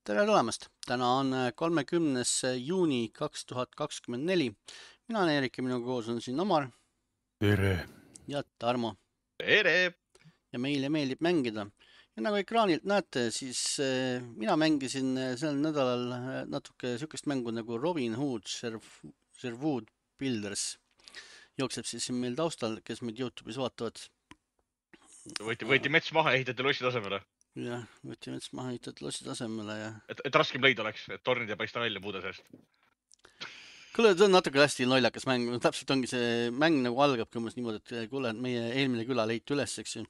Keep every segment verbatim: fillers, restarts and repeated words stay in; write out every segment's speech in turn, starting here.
Tere tulemast! Täna on kolmekümnes juuni kaks tuhat kakskümmend neli. Mina olen Eerik ja minuga koos on siin Omar Tere! ja Tarmo. Tere! Ja meile meeldib mängida. Ja nagu ekraanilt näete, siis mina mängisin sel nädalal natuke sükest mängu nagu Robin Hood Sherwood Builders. Jookseb siis siin meil taustal, kes meid YouTube'is vaatavad. Võeti, võeti mets maha ja ehitati lossi tasemele. Jah, võeti mets maha ja ehitati lossi tasemele ja... Et, et raskem leida oleks, et tornid ei paista välja puude seest. Kuule, see on natuke hästi lollakas mäng. Täpselt ongi see mäng nagu algabki umbes niimoodi, et kuule, meie eelmine küla leiti üles, eks ju.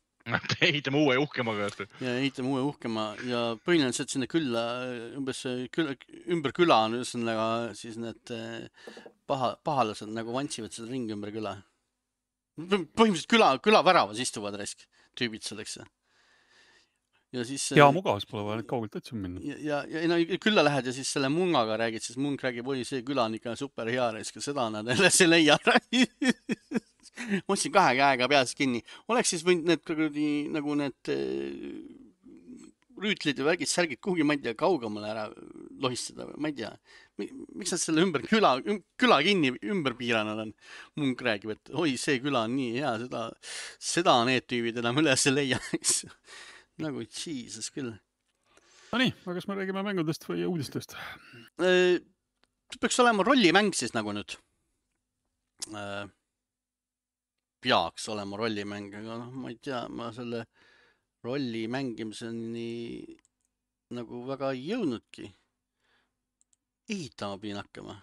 Ehitame uue uhkemaga. Ja ehitame uue uhkema ja põhiliselt sinna külla, umbes küla, ümber küla on üsnaga siis need paha, pahalased nagu vantsivad seda ringi ümber küla. Põhimõtteliselt küla, küla väravas istuvad resk tüübid selleks. Ja, siis, ja mugavus pole vaja kaugelt otsima minna. Ja, ja, ja no, külla lähed ja siis selle mungaga räägid, siis mung räägib, oi, see küla on ikka super hea resk ja seda nad jälle see leia. Mõtlesin kahe käega peas kinni. Oleks siis võinud need kuradi, nagu need rüütlid ja värgid, särgid kuhugi, ma ei tea, kaugemale ära lohistada. Ma ei tea, miks nad selle ümber küla, küla kinni ümber piiranud on. Mung räägib, et oi, see küla on nii hea, seda, seda need tüübid enam üles leia. Nagu Jesus küll. No nii, aga kas me räägime mängudest või uudistest? See peaks olema rollimäng siis nagu nüüd. Peaks olema rollimäng, aga no, ma ei tea, ma selle rolli mängimiseni nagu väga ei jõudnudki. Ehitama pidin hakkama.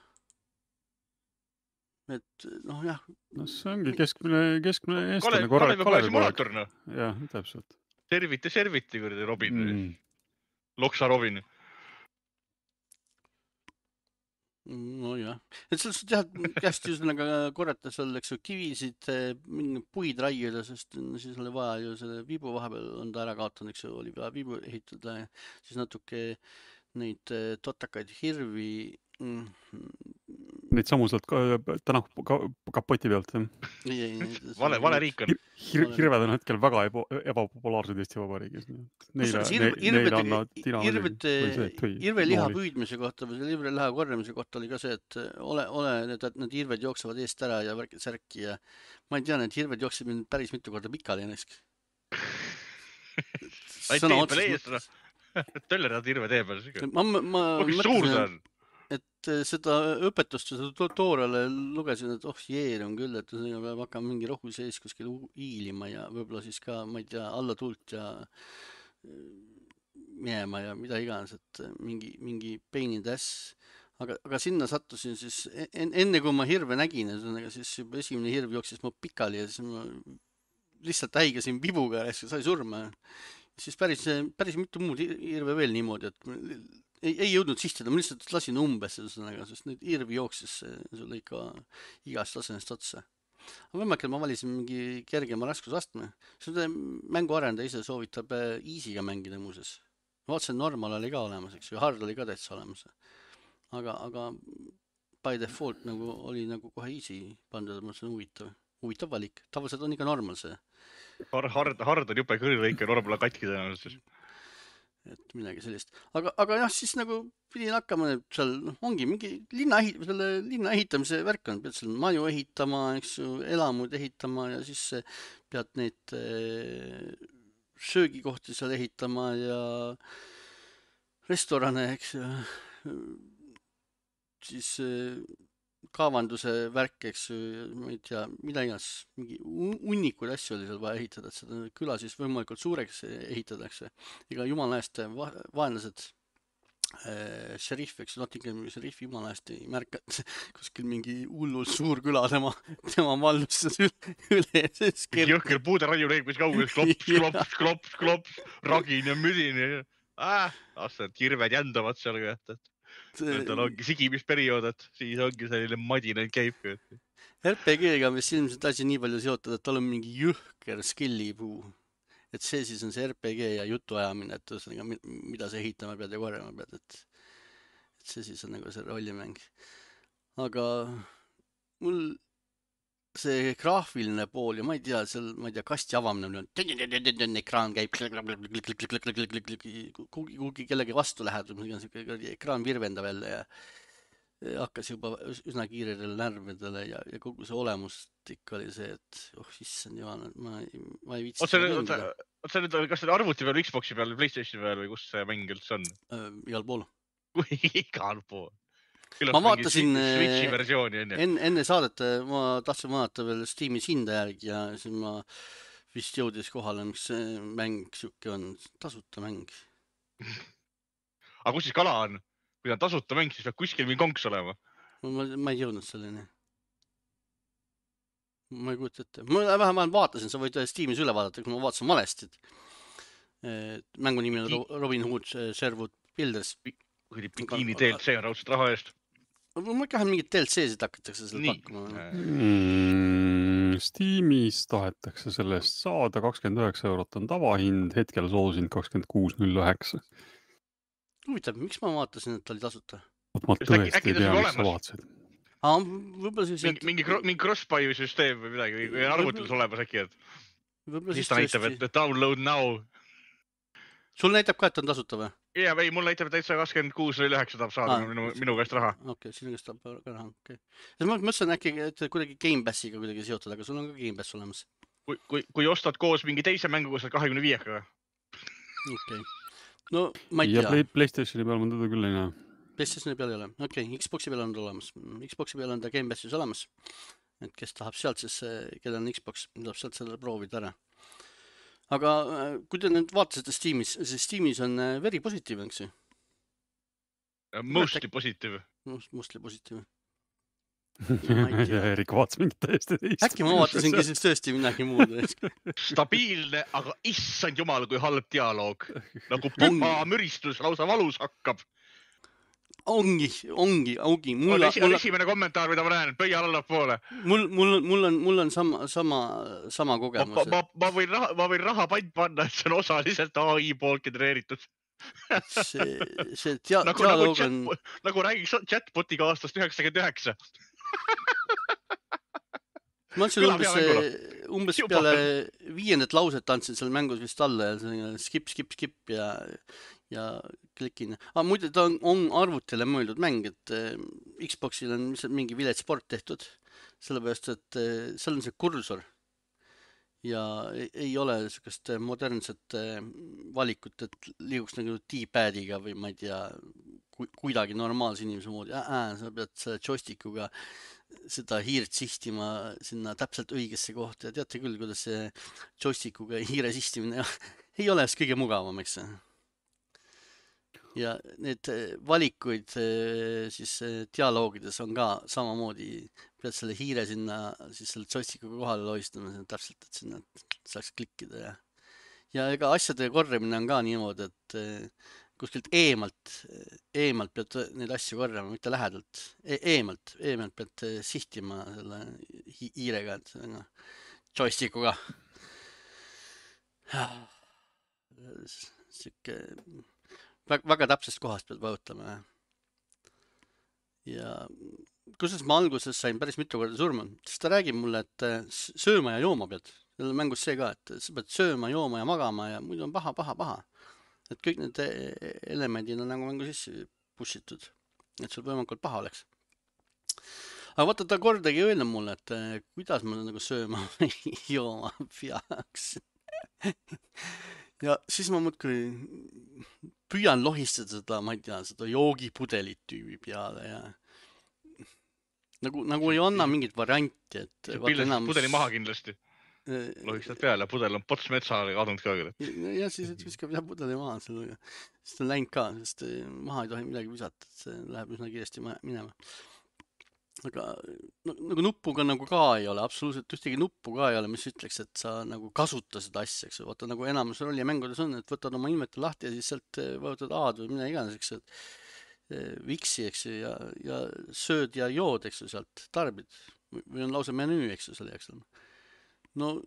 Et noh, jah. No see ongi keskmine, keskmine eestlane korralik Kalevi simulaator, no. Jah, täpselt. Serviti, serviti, kuradi Robin. Mm. Loksa Robin. No jah. Et selles tead, kästi üsnaga korrata seal, eks ju, kivisid, puid raiuda, sest siis oli vaja ju selle viibu vahepeal on ta ära kaotanud, eks ju, oli vaja viibu ehitada ja siis natuke neid totakaid hirvi. Neid samu sealt täna kapoti pealt. Vale, vale riik on. Hir, hirved on hetkel väga eba, ebapopulaarsed Eesti Vabariigis. Neile, neile annavad tina Irve liha püüdmise kohta või Irve liha korjamise kohta oli ka see, et ole, ole need, need hirved jooksevad eest ära ja värkid särki ja ma ei tea, need hirved jookseb mind päris mitu korda pikali ennekski. Sõna otsas. Töller nad hirve tee peal. Ma, ma mõtlesin, et seda õpetust, seda tutoriale lugesin, et oh jeer on küll, et peab hakkama mingi rohu sees kuskil hiilima ja võib-olla siis ka, ma ei tea, alla tult ja minema ja mida iganes, et mingi, mingi pain in the ass. Aga, aga sinna sattusin siis, enne kui ma hirve nägin, siis juba esimene hirv jooksis mu pikali ja siis ma lihtsalt häigasin vibuga ja sai surma. Siis päris, päris mitu muud hirve veel niimoodi, et ei, ei jõudnud sihtida, ma lihtsalt lasin umbes sellega, sest nüüd hirvi jooksis sulle ikka igast tasemest otsa. Aga võimalik, ma valisin mingi kergema raskusastme. Seda mängu arendaja ise soovitab easy'ga mängida muuses. Vaatsen normal oli ka olemas, eks ju, hard oli ka täitsa olemas. Aga, aga by default nagu oli nagu kohe easy pandud, ma mõtlesin huvitav. Huvitav valik. Tavaliselt on ikka normal see. Hard, hard on jupe kõrilõike, normal on katki tõenäoliselt. Et midagi sellist. Aga, aga jah, siis nagu pidin hakkama, et seal ongi mingi linna, ehit, selle linna ehitamise värk on. Pead seal maju ehitama, eks ju, elamud ehitama ja siis pead neid söögikohti seal ehitama ja restorane, eks ju. Siis kaevanduse värk, eks ju, ma ei tea, mida iganes, mingi unnikuid asju oli seal vaja ehitada, et seda küla siis võimalikult suureks ehitatakse. Ega jumala eest vaenlased, äh, šerif, eks Nottinghami šerif jumala eest ei märka, et kuskil mingi hullult suur küla tema, tema valdustas üle. Jõhker puude raiu leeg, mis kaugus, klops, klops, klops, klops, ragin ja müdin ja ah, aastad hirved jändavad seal ka, et tal ongi sigimisperiood, et siis ongi selline madinen käib. R P G-ga mis ilmselt asi nii palju seotud, et tal on mingi jõhker skillipuu. Et see siis on see R P G ja jutu ajamine, et ühesõnaga, mida sa ehitama pead ja korjama pead. Et, et see siis on nagu see rollimäng. Aga mul see graafiline pool ja ma ei tea, seal, ma ei tea, kasti avamine, ekraan käib, kuhugi kellegi vastu lähed, ekraan virvendab jälle ja hakkas juba üsna kiirele närvidele ja, ja kogu see olemust ikka oli see, et oh, issand jumal, ma, ma ei viitsi seda mängida. Oot sa nüüd, kas seda arvuti peal, Xboxi peal, PlayStationi peal või kus see mäng üldse on? Igal pool. Igal pool. Ma vaatasin Switchi versiooni enne. enne, enne saadet, ma tahtsin vaadata veel Steamis hinda järgi ja siis ma vist jõudis kohale, mis see mäng siuke on, tasuta mäng. Aga kus siis kala on? Kui ta on tasuta mäng, siis peab kuskil mingi konks olema. Ma, ma ei jõudnud selleni. Ma ei kujuta ette. Ma vähemalt vaatasin, sa võid Steamis üle vaadata, kui ma vaatasin valesti. Mängu nimi on Robin Hood Sherwood Builders. Bikini D L C on raudselt raha eest. Ma ikka mingid D L C-sid hakatakse selle pakkuma. Mm, Steamis tahetakse sellest saada kakskümmend üheksa eurot on tavahind, hetkel soosind kakskümmend kuus null üheksa. Huvitav, miks ma vaatasin, et ta oli tasuta? Ma tõesti ei tea, mis sa vaatasid. Aa, võib-olla siis... Mingi, mingi, mingi cross-buy süsteem või midagi, või arvutis olemas äkki, et siis ta näitab, et download now. Sul näitab ka, et on tasuta või? Jaa, ei, mul näitab, et täitsa kakskümmend kuus null üheksa tahab saada minu, minu käest raha. Okei, sinu käest tahab ka raha, okei. Ma mõtlesin äkki, et kuidagi Game Passiga kuidagi seotud, aga sul on ka Game Pass olemas. Kui, kui, kui ostad koos mingi teise mängu, kus on kahekümne viiekaga. Okei. No, ma ei tea. Ja PlayStationi peal ma teda küll ei näe. PlayStationi peal ei ole. Okei, Xboxi peal on ta olemas. Xboxi peal on ta Game Passis olemas. Et kes tahab sealt siis, keda on Xbox, tahab sealt selle proovida ära. Aga kui te nüüd vaatasite Steamis, siis Steamis on very positiiv, eks ju? Mostly positiiv. Mostly positiiv. Ja Erik vaatas mingit täiesti teist. Äkki ma vaatasingi siis tõesti midagi muud. Stabiilne, aga issand jumal, kui halb dialoog. Nagu püha müristus lausa valus hakkab. Ongi, ongi, ongi. On esi, on esimene kommentaar, mida ma näen, pöia alla poole. Mul, mul, mul on, mul on sama, sama, sama kogemus. Ma, ma, ma, võin raha, ma võin raha pant panna, et see on osaliselt A I poolt genereeritud. See, see dia, nagu, dialoog nagu, on... Chat, nagu räägiks chatbotiga aastast üheksakümmend üheksa. Ma ütlesin umbes, umbes peale viiendat lauset andsin seal mängus vist alla ja skip, skip, skip ja, ja klikin. Ah, muide, ta on, on arvutile mõeldud mäng, et Xboxil on mingi vilets sport tehtud, sellepärast, et seal on see kursor ja ei ole sellist modernset valikut, et liiguks nagu D-padiga või ma ei tea, kuidagi normaalse inimese moodi. Ää, sa pead selle joystikuga seda hiirt sihtima sinna täpselt õigesse kohta ja teate küll, kuidas see joystikuga hiire sihtimine ei ole kõige mugavam, eks. Ja need valikuid siis dialoogides on ka samamoodi, pead selle hiire sinna siis selle joystikuga kohale loistama täpselt, et sinna saaks klikkida ja ja ega asjade korjamine on ka niimoodi, et kuskilt eemalt, eemalt pead neid asju korjama, mitte lähedalt. E eemalt, eemalt pead sihtima selle hi hiirega, joystikuga. Siuke, väga, väga täpsest kohast pead vajutama. Ja kusjuures ma alguses sain päris mitu korda surma, sest ta räägib mulle, et sööma ja jooma pead. Seal on mängus see ka, et sa pead sööma, jooma ja magama ja muidu on paha, paha, paha. Et kõik need elemendid on nagu mängu sisse pushitud, et sul võimalikult paha oleks. Aga vaata, ta kordagi öelnud mulle, et kuidas ma nagu sööma või jooma peaks. Ja siis ma muudkui püüan lohistada seda, ma ei tea, seda joogipudelit tüübi peale ja nagu, nagu ei anna mingit varianti, et pilles enamus... pudeli maha kindlasti. Lohistad peale, pudel on pots metsaale kadunud ka küll. Ja siis viskab jah pudeli maha sellega. Sest on läinud ka, sest maha ei tohi midagi visata, et see läheb üsna kiiresti minema. Aga nagu nuppuga nagu ka ei ole, absoluutselt ühtegi nuppu ka ei ole, mis ütleks, et sa nagu kasuta seda asja, eks. Vaata nagu enamus rolli mängudes on, et võtad oma ilmete lahti ja siis sealt võtad A-d või mida iganes, eks, et viksi, eks, ja, ja sööd ja jood, eks, sealt tarbid. Või on lausa menüü, eks, selle jääks. No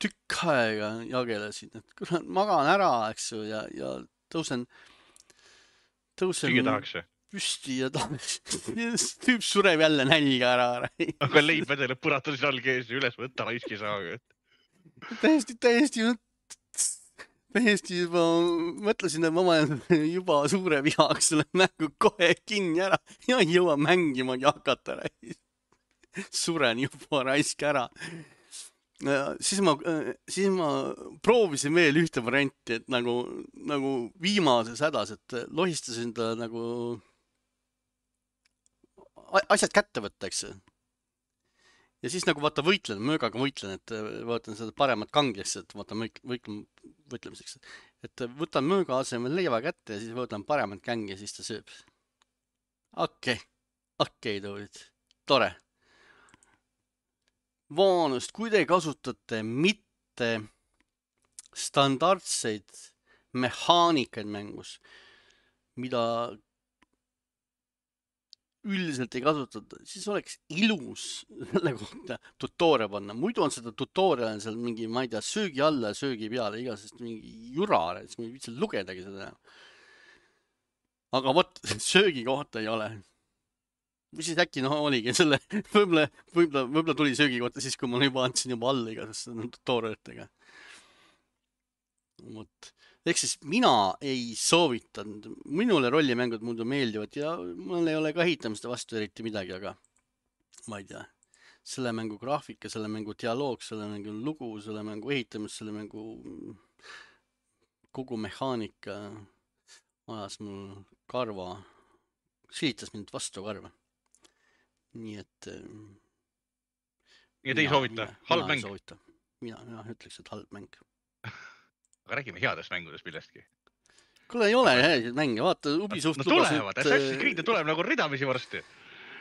tükk aega jagelesin, et kurat, magan ära, eks ju, ja, ja tõusen, tõusen... Süüa tahaks see? püsti ja ta tüüp sureb jälle nälga ära. Aga leib vedeleb põratas jalg ees ja üles võtta raiski saaga. täiesti, täiesti, täiesti juba mõtlesin, et ma olen juba suure vihaks selle mängu kohe kinni ära ja ei jõua mängimagi hakata. Suren juba raisk ära. Siis ma, siis ma proovisin veel ühte varianti, et nagu, nagu viimases hädas, et lohistasin ta nagu asjad kätte võtta, eks. Ja siis nagu vaata võitlen, möögaga võitlen, et vaatan seda paremat kanglisse, et vaata võitlen, võitlemiseks. Et võtan mööga asemel leiva kätte ja siis võtan paremat kängi ja siis ta sööb. Okei, okei, Toorid, tore. Vaanust, kui te kasutate mitte standardseid mehaanikaid mängus, mida üldiselt ei kasutata, siis oleks ilus selle kohta tutoore panna. Muidu on seda tutorial seal mingi, ma ei tea, söögi alla ja söögi peale, igasest mingi jurare, siis ma ei viitsi lugedagi seda. Aga vot, söögi kohta ei ole. Või siis äkki noh oligi selle, võib-olla, võib-olla, võib-olla tuli söögi kohta siis, kui ma juba andsin juba alla igasest tutorialitega. Vot. Ehk siis mina ei soovitanud, minule rollimängud muidu meeldivad ja mul ei ole ka hitamiste vastu eriti midagi, aga ma ei tea, selle mängu graafika, selle mängu dialoog, selle mängu lugu, selle mängu ehitamist, selle mängu kogu mehaanika ajas mul karva, silitas mind vastu karva. Nii et ja te ei soovita, halb mäng? Mina, mina ütleks, et halb mäng. Aga räägime headest mängudest millestki. Kuule ei ole häid mänge, vaata Ubisoft no tulevad, Assassin's Creed tuleb nagu ridamisi varsti.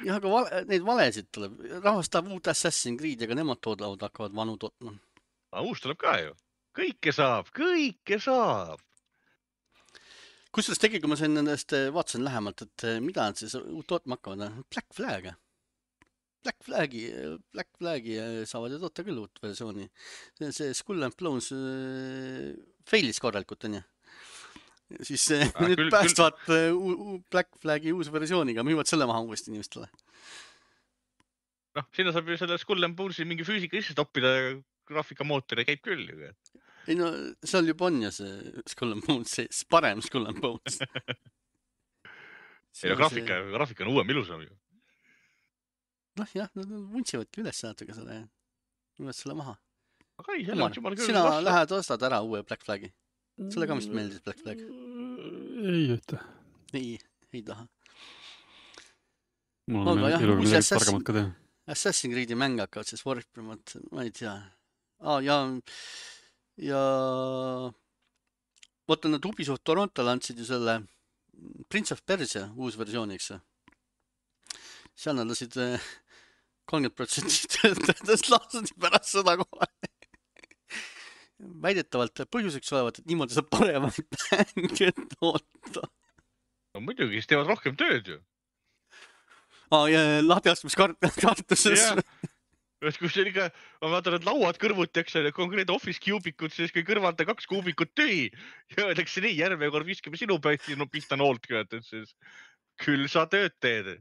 Jah, aga vale, neid valesid tuleb. Rahvas tahab uut Assassin's Creed, aga nemad toodavad, hakkavad vanu tootma. Aga uus tuleb ka ju. Kõike saab, kõike saab. Kusjuures tegelikult, kui ma sain nendest, vaatasin lähemalt, et mida nad siis uut tootma hakkavad. Black Flag. Black Flagi, Black Flagi saavad ju toota küll uut versiooni. See, see Skull and Bones failis korralikult, on ju. Siis ah, nüüd küll, päästvad küll. Black Flagi uus versiooniga, müüvad selle maha uuesti inimestele. Noh, sinna saab ju selle Skull and Bonesi mingi füüsika isse toppida ja graafikamootori käib küll. Ju. Ei no, seal juba on ja see Skull and Bones, see parem Skull and Bones. Ei no, graafika, see... graafika on uuem ilusam ju. Noh jah, nad vuntsivadki üles natuke selle, üles selle maha. Aga ei, selle on jumal küll sina vasta. Lähed ostad ära uue Black Flagi. Sulle ka vist meeldis Black Flag? Ei, ühte. Ei, ei taha. Mul on jah, eluga midagi targemat ka teha. Assassin's Creed'i mäng hakkavad siis Warframe'at, ma ei tea. Ah, ja, ja võtta nad Ubisoft Torontole andsid ju selle Prince of Persia uus versiooniks. Seal nad lasid kolmkümmend protsenti töötajatest laasadi pärast seda kohe. Väidetavalt põhjuseks olevat, et niimoodi saab paremat mänge toota. No muidugi, siis teevad rohkem tööd ju. Aa, ja lahtiastmiskartuses. Ja, kus see ikka, ma vaatan, et lauad kõrvuti, eks ole, konkreetne office kuubikud, siis kui kõrvalt kaks kuubikut tühi. Ja öeldakse nii, järve kord viskame sinu päiti, no pista noolt kööd, et siis küll sa tööd teed.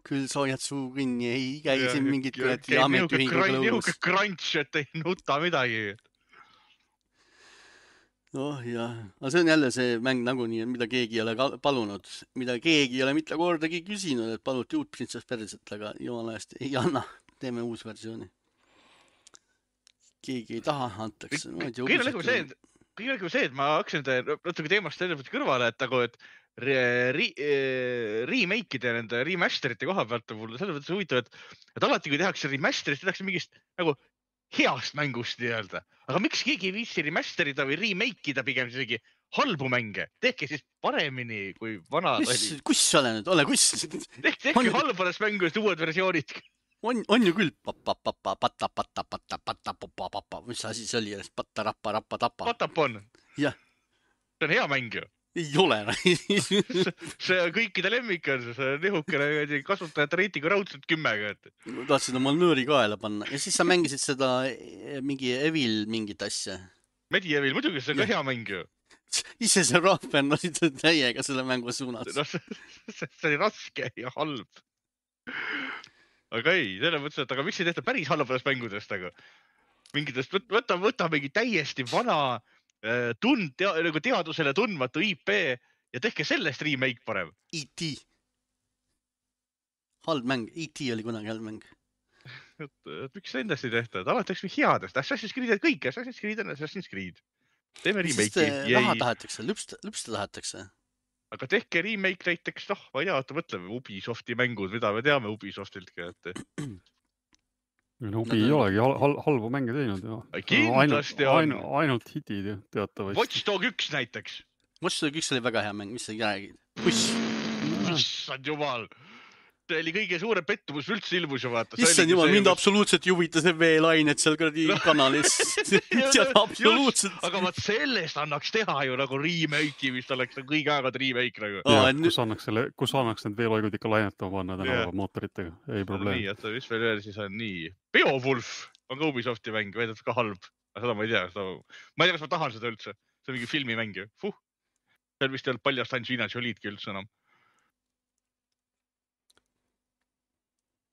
Küll soojad suu kinni, ei käi siin mingit ametiühinguga lõugus. Nihuke crunch, et ei nuta midagi. Oh jah, aga see on jälle see mäng nagunii, mida keegi ei ole palunud, mida keegi ei ole mitte kordagi küsinud, et paluti uut Prince of Persiat, aga jumala eest ei anna, teeme uus versiooni. Keegi ei taha, antakse. Kõige nagu see, kõige nagu see, et ma hakkasin natuke teemast sellepärast kõrvale, et nagu, et remake'ide ja nende remasterite koha pealt on mulle selles mõttes huvitav, et, et alati kui tehakse remasterist, tehakse mingist nagu heast mängust nii-öelda. Aga miks keegi ei viisi remasterida või remake'ida pigem isegi halbu mänge? Tehke siis paremini kui vanad oli. Kus sa ole nüüd? Ole kus? Tehke halbadest mängust uued versioonid. On, on ju küll. Papa, papa, pata, pata, pata, pata, papa, papa. Mis asi see oli? Pata, rappa, rappa, tapa. Patapon. Jah. See on hea mäng ju. Ei ole. See on kõikide lemmik on see nihukene kasutajate reitingu raudselt kümmega. Tahtsid oma nööri kaela panna. Ja siis sa mängisid seda mingi Evil mingit asja. Medieval, muidugi see on ka hea mäng ju. ise see rahven oli täiega selle mängu suunas. No, see, see oli raske ja halb. Aga ei, selle mõttes, et aga miks ei tehta päris halbadest mängudest, aga mingitest, võta, võta mingi täiesti vana tund, tea, nagu teadusele tundmatu I P ja tehke sellest remake parem. E T Halb mäng, E T oli kunagi halb mäng. Et, et miks endast ei tehta, et alati oleks headest, Assassin's Creed kõik, Assassin's Creed on Assassin's Creed. Teeme remake'i. Raha tahetakse, lüpsta, lüpsta tahetakse. Aga tehke remake näiteks, noh, ma ei tea, oota mõtleme Ubisofti mängud, mida me teame Ubisoftiltki, et... No, Ubi ei olegi hal halbu mänge teinud. Kindlasti on. Ainult, ainult hitid teatavasti. Watch Dog üks näiteks. Watch Dog üks oli väga hea mäng, mis sa ei räägi. Puss. Issand jumal. See oli kõige suurem pettumus üldse ilmus ju vaata. Issand jumal, mind absoluutselt ei huvita see veelained seal kuradi kanalis. absoluutselt. Aga vaat sellest annaks teha ju nagu remake'i, mis oleks kõige aegad remake nagu. Ja, kus, annaks selle, kus annaks need veelaigud ikka lainetama panna tänava mootoritega. Ei probleem. Nii, et mis veel veel siis on nii. Beowulf on ka Ubisofti mäng, veedet ka halb. Seda ma ei tea. Seda... Ma ei tea, kas ma tahan seda üldse. See on mingi filmimäng ju. Fuh. See on vist ei olnud paljast Angelina Jolie'dki üldse enam.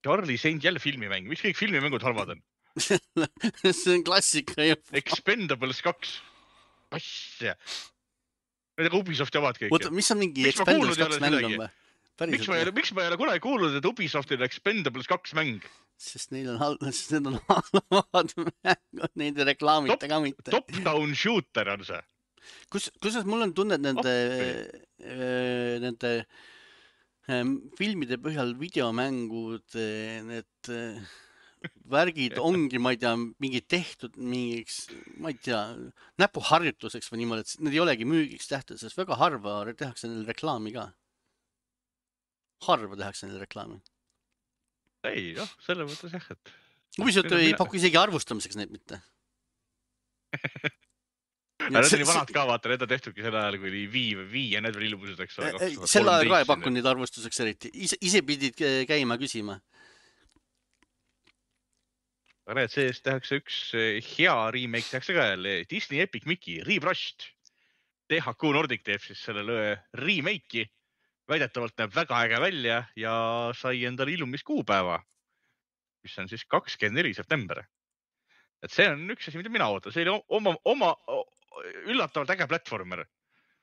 Charlie Saint jälle filmimäng. Mis kõik filmimängud halvad on? see on klassika ju. Expendables kaks. Asja. Need on Ubisoft javad kõik. Oota, mis on mingi Expendables kaks mäng on või? Miks ma, ei ole, miks ma ei ole kunagi kuulnud, et Ubisoftil on Expendables kaks mäng? Sest neil on halvad, sest need on halvad mängud, neid ei reklaamita ka mitte. Top-down shooter on see. Kus, kusas mul on tunne, et nende, äh, nende filmide põhjal videomängud, need värgid ongi, ma ei tea, mingi tehtud mingiks, ma ei tea, näpuharjutuseks või niimoodi, et need ei olegi müügiks tähtud, sest väga harva tehakse neil reklaami ka. Harva tehakse neil reklaami. Ei, noh, selle mõttes jah, et... Ubisoft ei paku isegi arvustamiseks neid mitte. Need oli vanad ka, vaata, need on tehtudki selle ajal, kui oli vii, vii ja need veel ilmused, eks ole. Selle ajal ka ei pakkunud neid arvustuseks eriti. Ise, ise pidid käima küsima. Aga need sees tehakse üks hea remake, tehakse ka jälle Disney Epic Mickey, Rebrushed. T H Q Nordic teeb siis selle remake'i. Väidetavalt näeb väga äge välja ja sai endale ilmumiskuupäeva, mis on siis kakskümmend neli september. Et see on üks asi, mida mina ootan. See oli oma, oma üllatavalt äge platformer.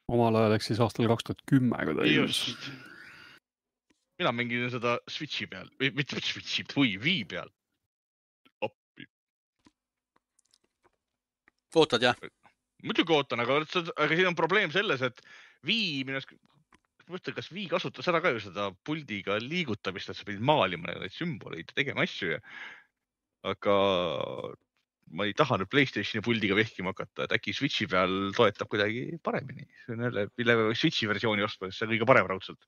Omal ajal eks siis aastal kaks tuhat kümme. Just. Mina mängin seda Switchi peal. Või mitte Switchi, või Wii peal. Oppi. Ootad, jah? Muidugi ootan, aga, aga siin on probleem selles, et Wii, minust, mõtlen, kas Wii kasutas seda ka ju seda puldiga liigutamist, et sa pidid maalima neid sümboleid ja tegema asju. Aga... ma ei taha nüüd PlayStationi puldiga vehkima hakata, et äkki Switchi peal toetab kuidagi paremini. See on jälle, mille Switchi versiooni ostma, see on kõige parem raudselt.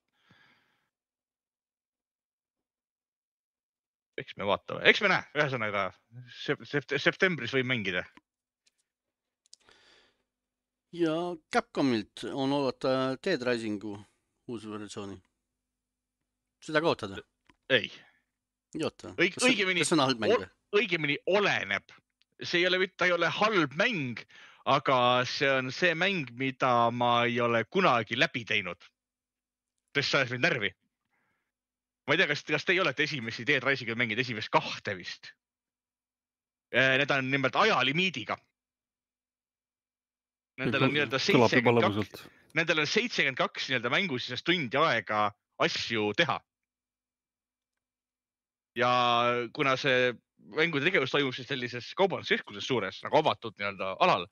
Eks me vaatame. Eks me näe, ühesõnaga septembris võib mängida. Ja Capcomilt on oodata Dead Risingu uus versiooni. Seda ka ootad? Ei. Ei oota. Õig, kas, õigemini, kas on halb mäng? Õigemini oleneb. See ei ole, ta ei ole halb mäng, aga see on see mäng, mida ma ei ole kunagi läbi teinud. Sest sa ajas mind närvi. Ma ei tea, kas, kas te ei olete esimesi Dead Risingu mängid esimest kahte vist? Need on nimelt ajalimiidiga. Nendel on nii-öelda seitsekümmend kaks, nendel on seitsekümmend kaks nii-öelda mängus tundi aega asju teha. Ja kuna see mängude tegevus toimub siis sellises kaubanduskeskuses suures, nagu avatud nii-öelda alal.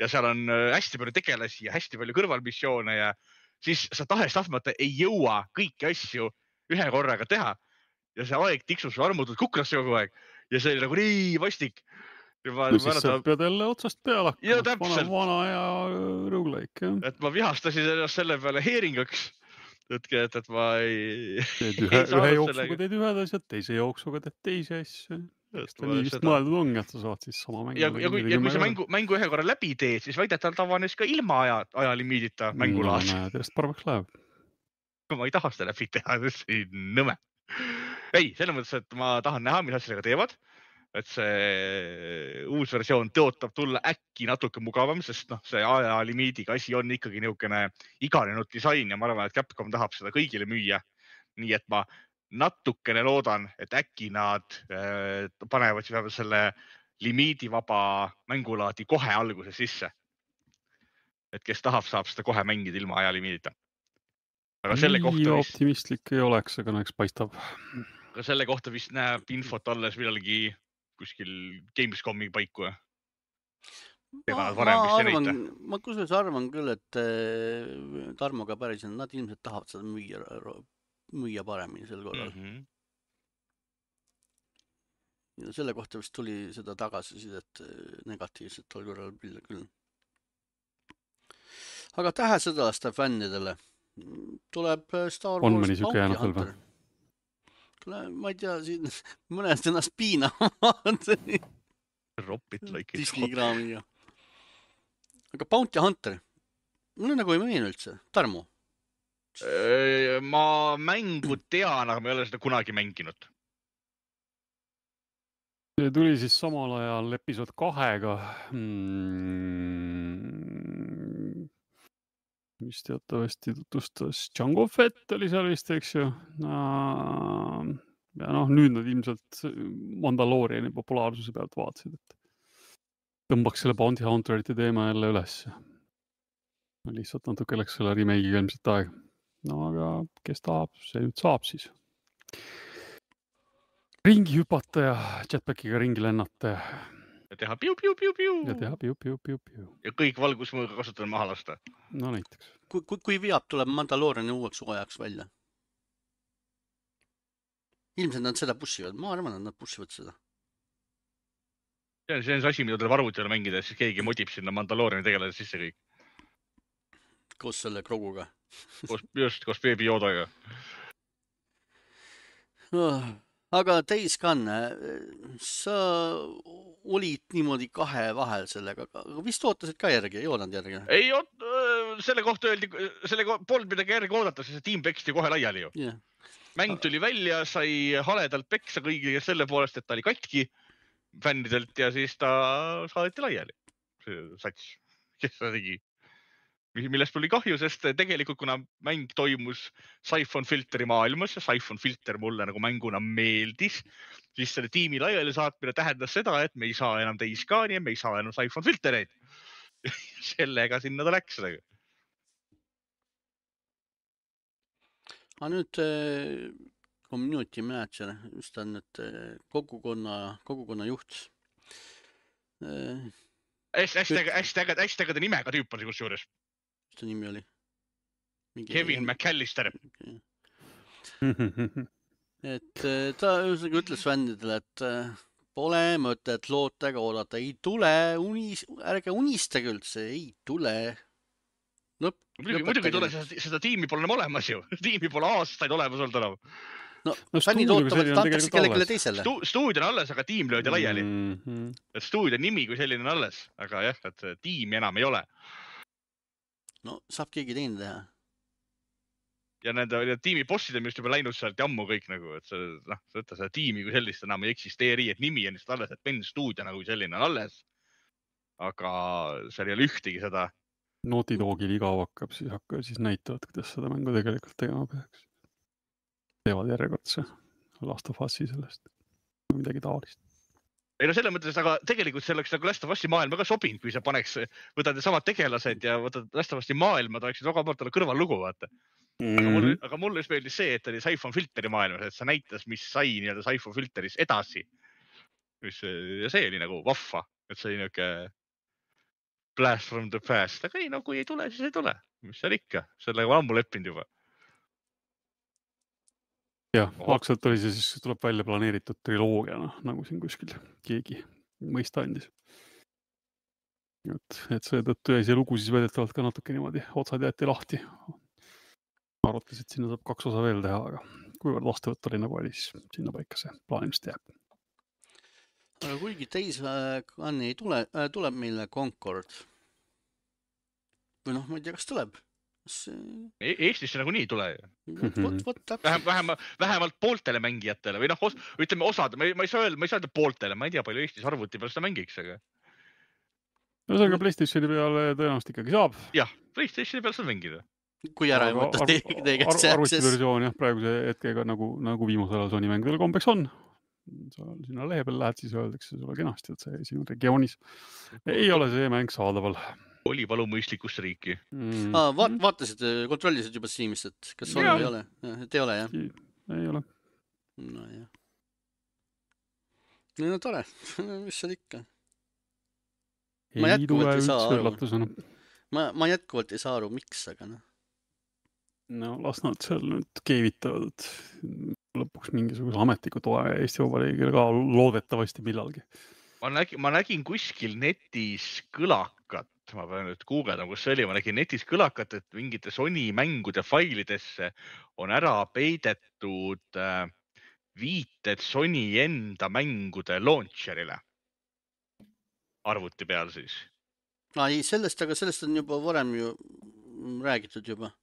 Ja seal on hästi palju tegelasi ja hästi palju kõrvalmissioone ja siis sa tahest tahtmata ei jõua kõiki asju ühe korraga teha. Ja see aeg tiksus armutud kukrasse kogu aeg. Ja see oli nagu nii vastik. Ma, no siis sa pead jälle otsast peale hakkama. Vana, vana ja roguelike. Et ma vihastasin ennast selle peale heeringaks. Et, et, et ma ei... Teed ühe, ühe jooksuga teed ühed asjad, teise jooksuga teed teise asju. Ta nii vist mõeldud ongi, et sa saad siis sama mängu. Ja, ja kui, ja kui sa mängu, mängu ühe korra läbi teed, siis väidetavalt avanes ka ilma aja, ajalimiidita mängulaas. No, näed, järjest paremaks läheb. Ma ei taha seda läbi teha, see on nõme. Ei, selles mõttes, et ma tahan näha, mis asjadega teevad. et see uus versioon tõotab tulla äkki natuke mugavam, sest noh, see ajalimiidiga asi on ikkagi niisugune iganenud disain ja ma arvan, et Capcom tahab seda kõigile müüa. Nii et ma natukene loodan, et äkki nad äh, panevad siis selle limiidivaba mängulaadi kohe alguses sisse. Et kes tahab, saab seda kohe mängida ilma ajalimiidita. Aga selle Nii kohta vist, optimistlik ei oleks, aga näeks paistab. aga selle kohta vist näeb infot alles millalgi kuskil Gamescomi paiku. Ma, ma, arvan, ma kusjuures arvan küll, et äh, Tarmoga päris on, nad ilmselt tahavad seda müüa, müüa paremini sel korral. Mm -hmm. Ja selle kohta vist tuli seda tagasisidet negatiivselt tol korral küll. Aga tähesõdalaste fännidele tuleb Star Wars on mõni siuke jäänud veel või? Tule, ma ei tea, siin mõnest ennast piinavad. Disney kraamiga. Aga Bounty Hunter, mulle nagu ei meenu üldse. Tarmo? Ma mängu tean, aga ma ei ole seda kunagi mänginud. See tuli siis samal ajal episood kahega. Hmm. mis teatavasti tutvustas Jango Fett oli seal vist, eks ju. Ja noh, nüüd nad ilmselt Mandalooriani populaarsuse pealt vaatasid, et tõmbaks selle Bounty Hunterite teema jälle üles. Lihtsalt natuke läks selle remake'iga ilmselt aeg. No aga kes tahab, see nüüd saab siis. Ringi hüpata ja jetpackiga ringi lennata. Ja teha piu-piu-piu-piu. Ja teha piu-piu-piu-piu. Ja kõik valgusmõõga kasutada maha lasta. No näiteks. Kui, kui, kui viab tuleb Mandalooriani uueks hooajaks välja? Ilmselt nad seda pushivad. Ma arvan, et nad pushivad seda. See on see asi, mida tuleb arvutile mängida, siis keegi modib sinna Mandalooriani tegeleda sisse kõik. Koos selle Kroguga. Koos, just, koos Baby Yodaga. Oh, aga Days Gone, sa olid niimoodi kahe vahel sellega, aga vist ootasid ka järgi, ei oodanud järgi? Ei, selle kohta öeldi, selle polnud midagi järgi oodata, sest see tiim peksti kohe laiali ju. Yeah. Mäng tuli välja, sai haledalt peksa kõigile selle poolest, et ta oli katki fännidelt ja siis ta saadeti laiali. See sats, kes ta tegi. Millest tuli kahju, sest tegelikult kuna mäng toimus Siphon Filteri maailmas ja Siphon Filter mulle nagu mänguna meeldis, siis selle tiimi laiali saatmine tähendas seda, et me ei saa enam Days Gone'i ja me ei saa enam Siphon Filtereid. Sellega sinna ta läks. Aga nüüd community manager, mis ta on nüüd kogukonna, kogukonna juht. Hästi ägeda nimega tüüp on see kusjuures. Mis ta nimi oli? Mingi Kevin M... McAllister. Okay. Et ta ütles fännidele, et pole mõtet lootega oodata, ei tule, unis, ärge unistage üldse, ei tule. Lõpp, muidugi ei tule, seda tiimi pole enam olemas ju. Tiimi pole aastaid olemas olnud enam. No, no fännid ootavad, et antakse kellelegi teisele. Stu, stuudio on alles, aga tiim löödi laiali. Mm -hmm. Et stuudio nimi kui selline on alles, aga jah, et tiimi enam ei ole. No saab keegi teine teha. Ja nende tiimi bossid on just juba läinud sealt jammu kõik nagu, et see, noh, võtta seda tiimi kui sellist enam ei eksisteeri, et nimi on just alles, et Ben stuudio nagu selline on alles. Aga seal ei ole ühtegi seda. Naughty Dogil igav hakkab, siis hakkab, siis näitavad, kuidas seda mängu tegelikult tegema peaks. Teevad järjekordse Last of Us'i sellest. Midagi taolist. Ei no selle mõttes, aga tegelikult see oleks nagu Last of Us'i maailma ka sobinud, kui sa paneks, võtad samad tegelased ja võtad Last of Us'i maailma, ta oleksid väga palju kõrval lugu, vaata. Mm-hmm. Aga mulle, aga mulle just meeldis see, et oli Siphon Filteri maailmas, et sa näitas, mis sai nii-öelda Siphon Filteris edasi. Mis, ja see oli nagu vahva, et see oli niuke blast from the past. Aga ei, no kui ei tule, siis ei tule. Mis seal ikka? Sellega on ammu leppinud juba. Jah, algselt oli see siis tuleb välja planeeritud triloogia, no, nagu siin kuskil keegi mõista andis. Et, et see tõttu jäi see lugu siis väidetavalt ka natuke niimoodi otsad jäeti lahti. Arvates, et sinna saab kaks osa veel teha, aga kuivõrd vastuvõtt oli nagu oli, siis sinna paika see plaanimist jääb. Aga kuigi Days Gone ei tule, tuleb meile Concord. Või noh, ma ei tea, kas tuleb. Eestisse nagu nii ei tule. Vot, vot täpselt. Vähem, vähemalt, vähemalt pooltele mängijatele või noh, os, ütleme osad, ma ei, ma ei saa öelda, ma ei saa öelda pooltele, ma ei tea, palju Eestis arvuti peal seda mängiks, aga. No see on ka PlayStationi peale tõenäoliselt ikkagi saab. Jah, PlayStationi peal saab mängida. Kui ära ei võtta teie käest see arvuti versioon jah, praeguse hetkega nagu, nagu viimasel ajal Sony mängudel kombeks on. Sa sinna lehe peal lähed, siis öeldakse sulle kenasti, et see sinu regioonis ei ole see mäng saadaval. Oli palu mõistlikusse riiki. Mm. Ah, vaat, vaatasid, kontrollisid juba Steamist, et kas on või ei ole? Et ei ole, jah? Ei ole. No jah. No tore, mis seal ikka? Ma ei tule üldse üllatusena. Ma, ma jätkuvalt ei saa aru, miks, aga noh. No las nad seal nüüd keevitavad, et lõpuks mingisuguse ametliku toe Eesti Vabariigile ka loodetavasti millalgi. Ma nägin, ma nägin kuskil netis kõlakat, ma pean nüüd guugeldama, kus see oli, ma nägin netis kõlakat, et mingite Sony mängude failidesse on ära peidetud äh, viited Sony enda mängude launcherile. Arvuti peal siis. No, ei, sellest, aga sellest on juba varem ju räägitud juba.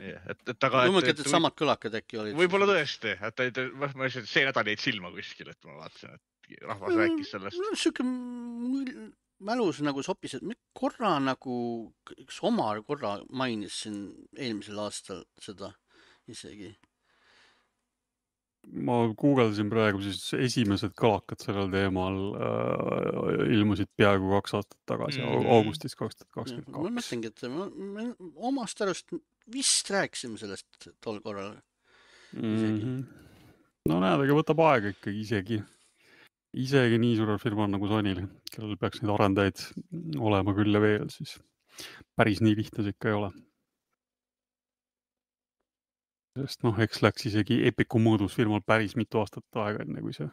Yeah, et, et, aga, et, et, et samad kõlakad äkki olid. Võib-olla tõesti, et, et, et ma ütlesin, et see nädal jäid silma kuskil, et ma vaatasin, et rahvas rääkis sellest. No, siuke mälus nagu sopis, et korra nagu, üks Omar korra mainis siin eelmisel aastal seda isegi. Ma guugeldasin praegu siis esimesed kõlakad sellel teemal äh, ilmusid peaaegu kaks aastat tagasi, mm. augustis kaks tuhat kakskümmend kaks. Ma mõtlengi, et me, me omast arust vist rääkisime sellest tol korral. Mm-hmm. No näed, aga võtab aega ikkagi isegi, isegi nii suurel firmal nagu Sonyl, kellel peaks neid arendajaid olema küll ja veel, siis päris nii lihtne see ikka ei ole. Sest noh, eks läks isegi Epicu mõõdus firmal päris mitu aastat aega enne, kui see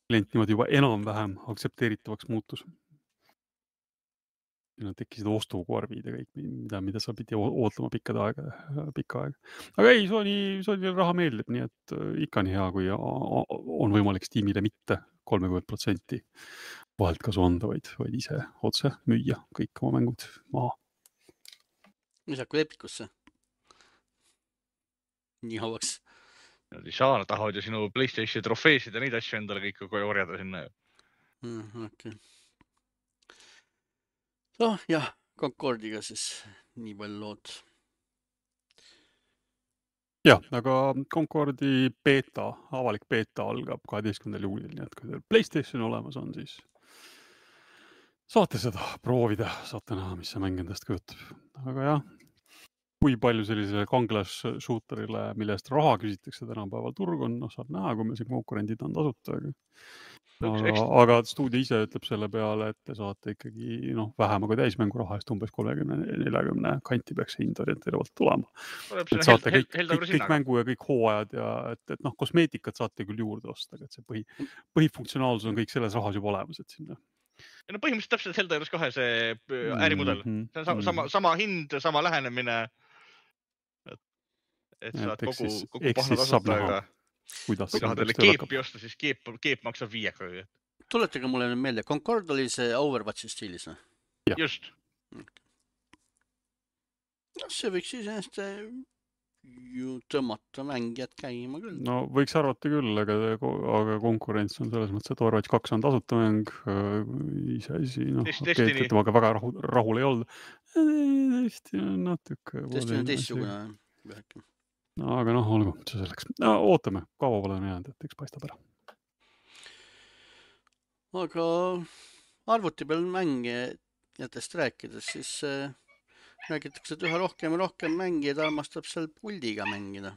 klient niimoodi juba enam-vähem aktsepteeritavaks muutus. Nad tekkisid ostukorvid ja kõik, mida, mida sa pidi ootama pikkad aega, pikka aega. Aga ei, Sony, Sony raha meeldib, nii et ikka nii hea, kui on võimalik Steamile mitte kolmkümmend protsenti vahelt kasu anda, vaid, vaid ise otse müüa kõik oma mängud maha. Mis hakkab Epicusse? Nii hauaks. Nad ei saa, nad tahavad ju sinu PlayStation trofeesid ja neid asju endale kõik korjada sinna. Mm, okay. No jah, Concordiga siis nii palju lood. Jah, aga Concordi beta, avalik beta algab kaheteistkümnendal juulil, nii et kui teil PlayStation olemas on, siis saate seda proovida, saate näha, mis see mäng endast kujutab. Aga jah, kui palju sellisele kanglas shooterile, millest raha küsitakse tänapäeval turg on, no saab näha, kui meil see konkurendid on tasuta. Aga, aga, aga stuudio ise ütleb selle peale, et te saate ikkagi noh, vähema kui täismängu raha eest umbes kolmekümne nelikümmend kanti peaks hind orienteeruvalt tulema. Et saate kõik, kõik, kõik mängu ja kõik hooajad ja et, et noh, kosmeetikat saate küll juurde osta, et see põhi, põhifunktsionaalsus on kõik selles rahas juba olemas, et sinna. Ja no põhimõtteliselt täpselt Zelda juures kahe see ärimudel. Mm-hmm. See on sama, sama, sama hind, sama lähenemine. Et, et saad kogu, siis, kogu pahna tasuta, aga kui tahad teile keepi osta, siis keep, keep maksab viieka. Tuletage mulle meelde, Concord oli see Overwatchi stiilis, no? Just. No, see võiks siis ennast ju tõmmata mängijad käima küll. No võiks arvata küll, aga, aga konkurents on selles mõttes, et Overwatch kaks on tasuta mäng, ise asi, noh, okay, temaga väga rahul, rahul ei olnud. Tõesti on natuke. Tõesti on teistsugune. No, aga noh, olgu, see selleks. No, ootame, kaua pole jäänud, et eks paistab ära. Aga arvuti peal mängijatest rääkides, siis räägitakse, et üha rohkem ja rohkem mängijad armastab seal puldiga mängida.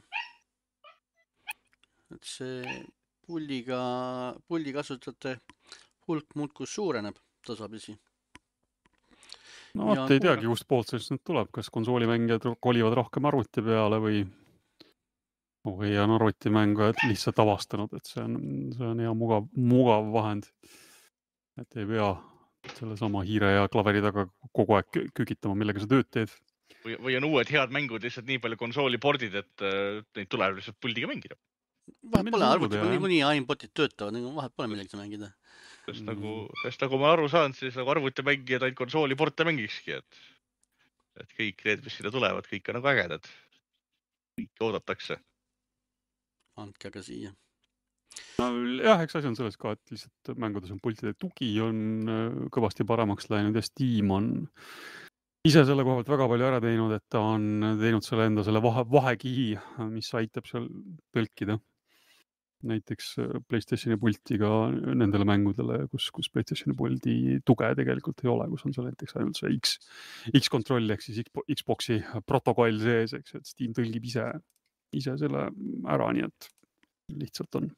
Et see puldiga, puldi kasutajate hulk muudkus suureneb tasapisi. No vaat ei teagi, kust poolt sellest nüüd tuleb, kas konsoolimängijad kolivad rohkem arvuti peale või või on arvutimängujad lihtsalt avastanud, et see on, see on hea mugav, mugav vahend, et ei pea selle sama hiire ja klaveri taga kogu aeg kükitama, millega sa tööd teed. Või, või on uued head mängud lihtsalt nii palju konsooli pordid, et neid tuleb lihtsalt puldiga mängida. Vahet pole, arvuti on niikuinii aimbotid töötavad, vahet pole millega mängida. Sest nagu, sest nagu ma aru saan, siis nagu arvutimängijad ainult konsooli porte mängikski, et et kõik need, mis sinna tulevad, kõik on nagu ägedad. Kõik oodatakse. Andke aga siia. No jah, eks asi on selles ka, et lihtsalt mängudes on pultide tugi on kõvasti paremaks läinud ja Steam on ise selle koha pealt väga palju ära teinud, et ta on teinud selle enda selle vahe, vahekihi, mis aitab seal tõlkida. Näiteks PlayStationi pultiga nendele mängudele, kus, kus PlayStationi puldi tuge tegelikult ei ole, kus on seal näiteks ainult see X, X-kontroll ehk siis Xboxi protokoll sees, eks, et Steam tõlgib ise, ise selle ära, nii et lihtsalt on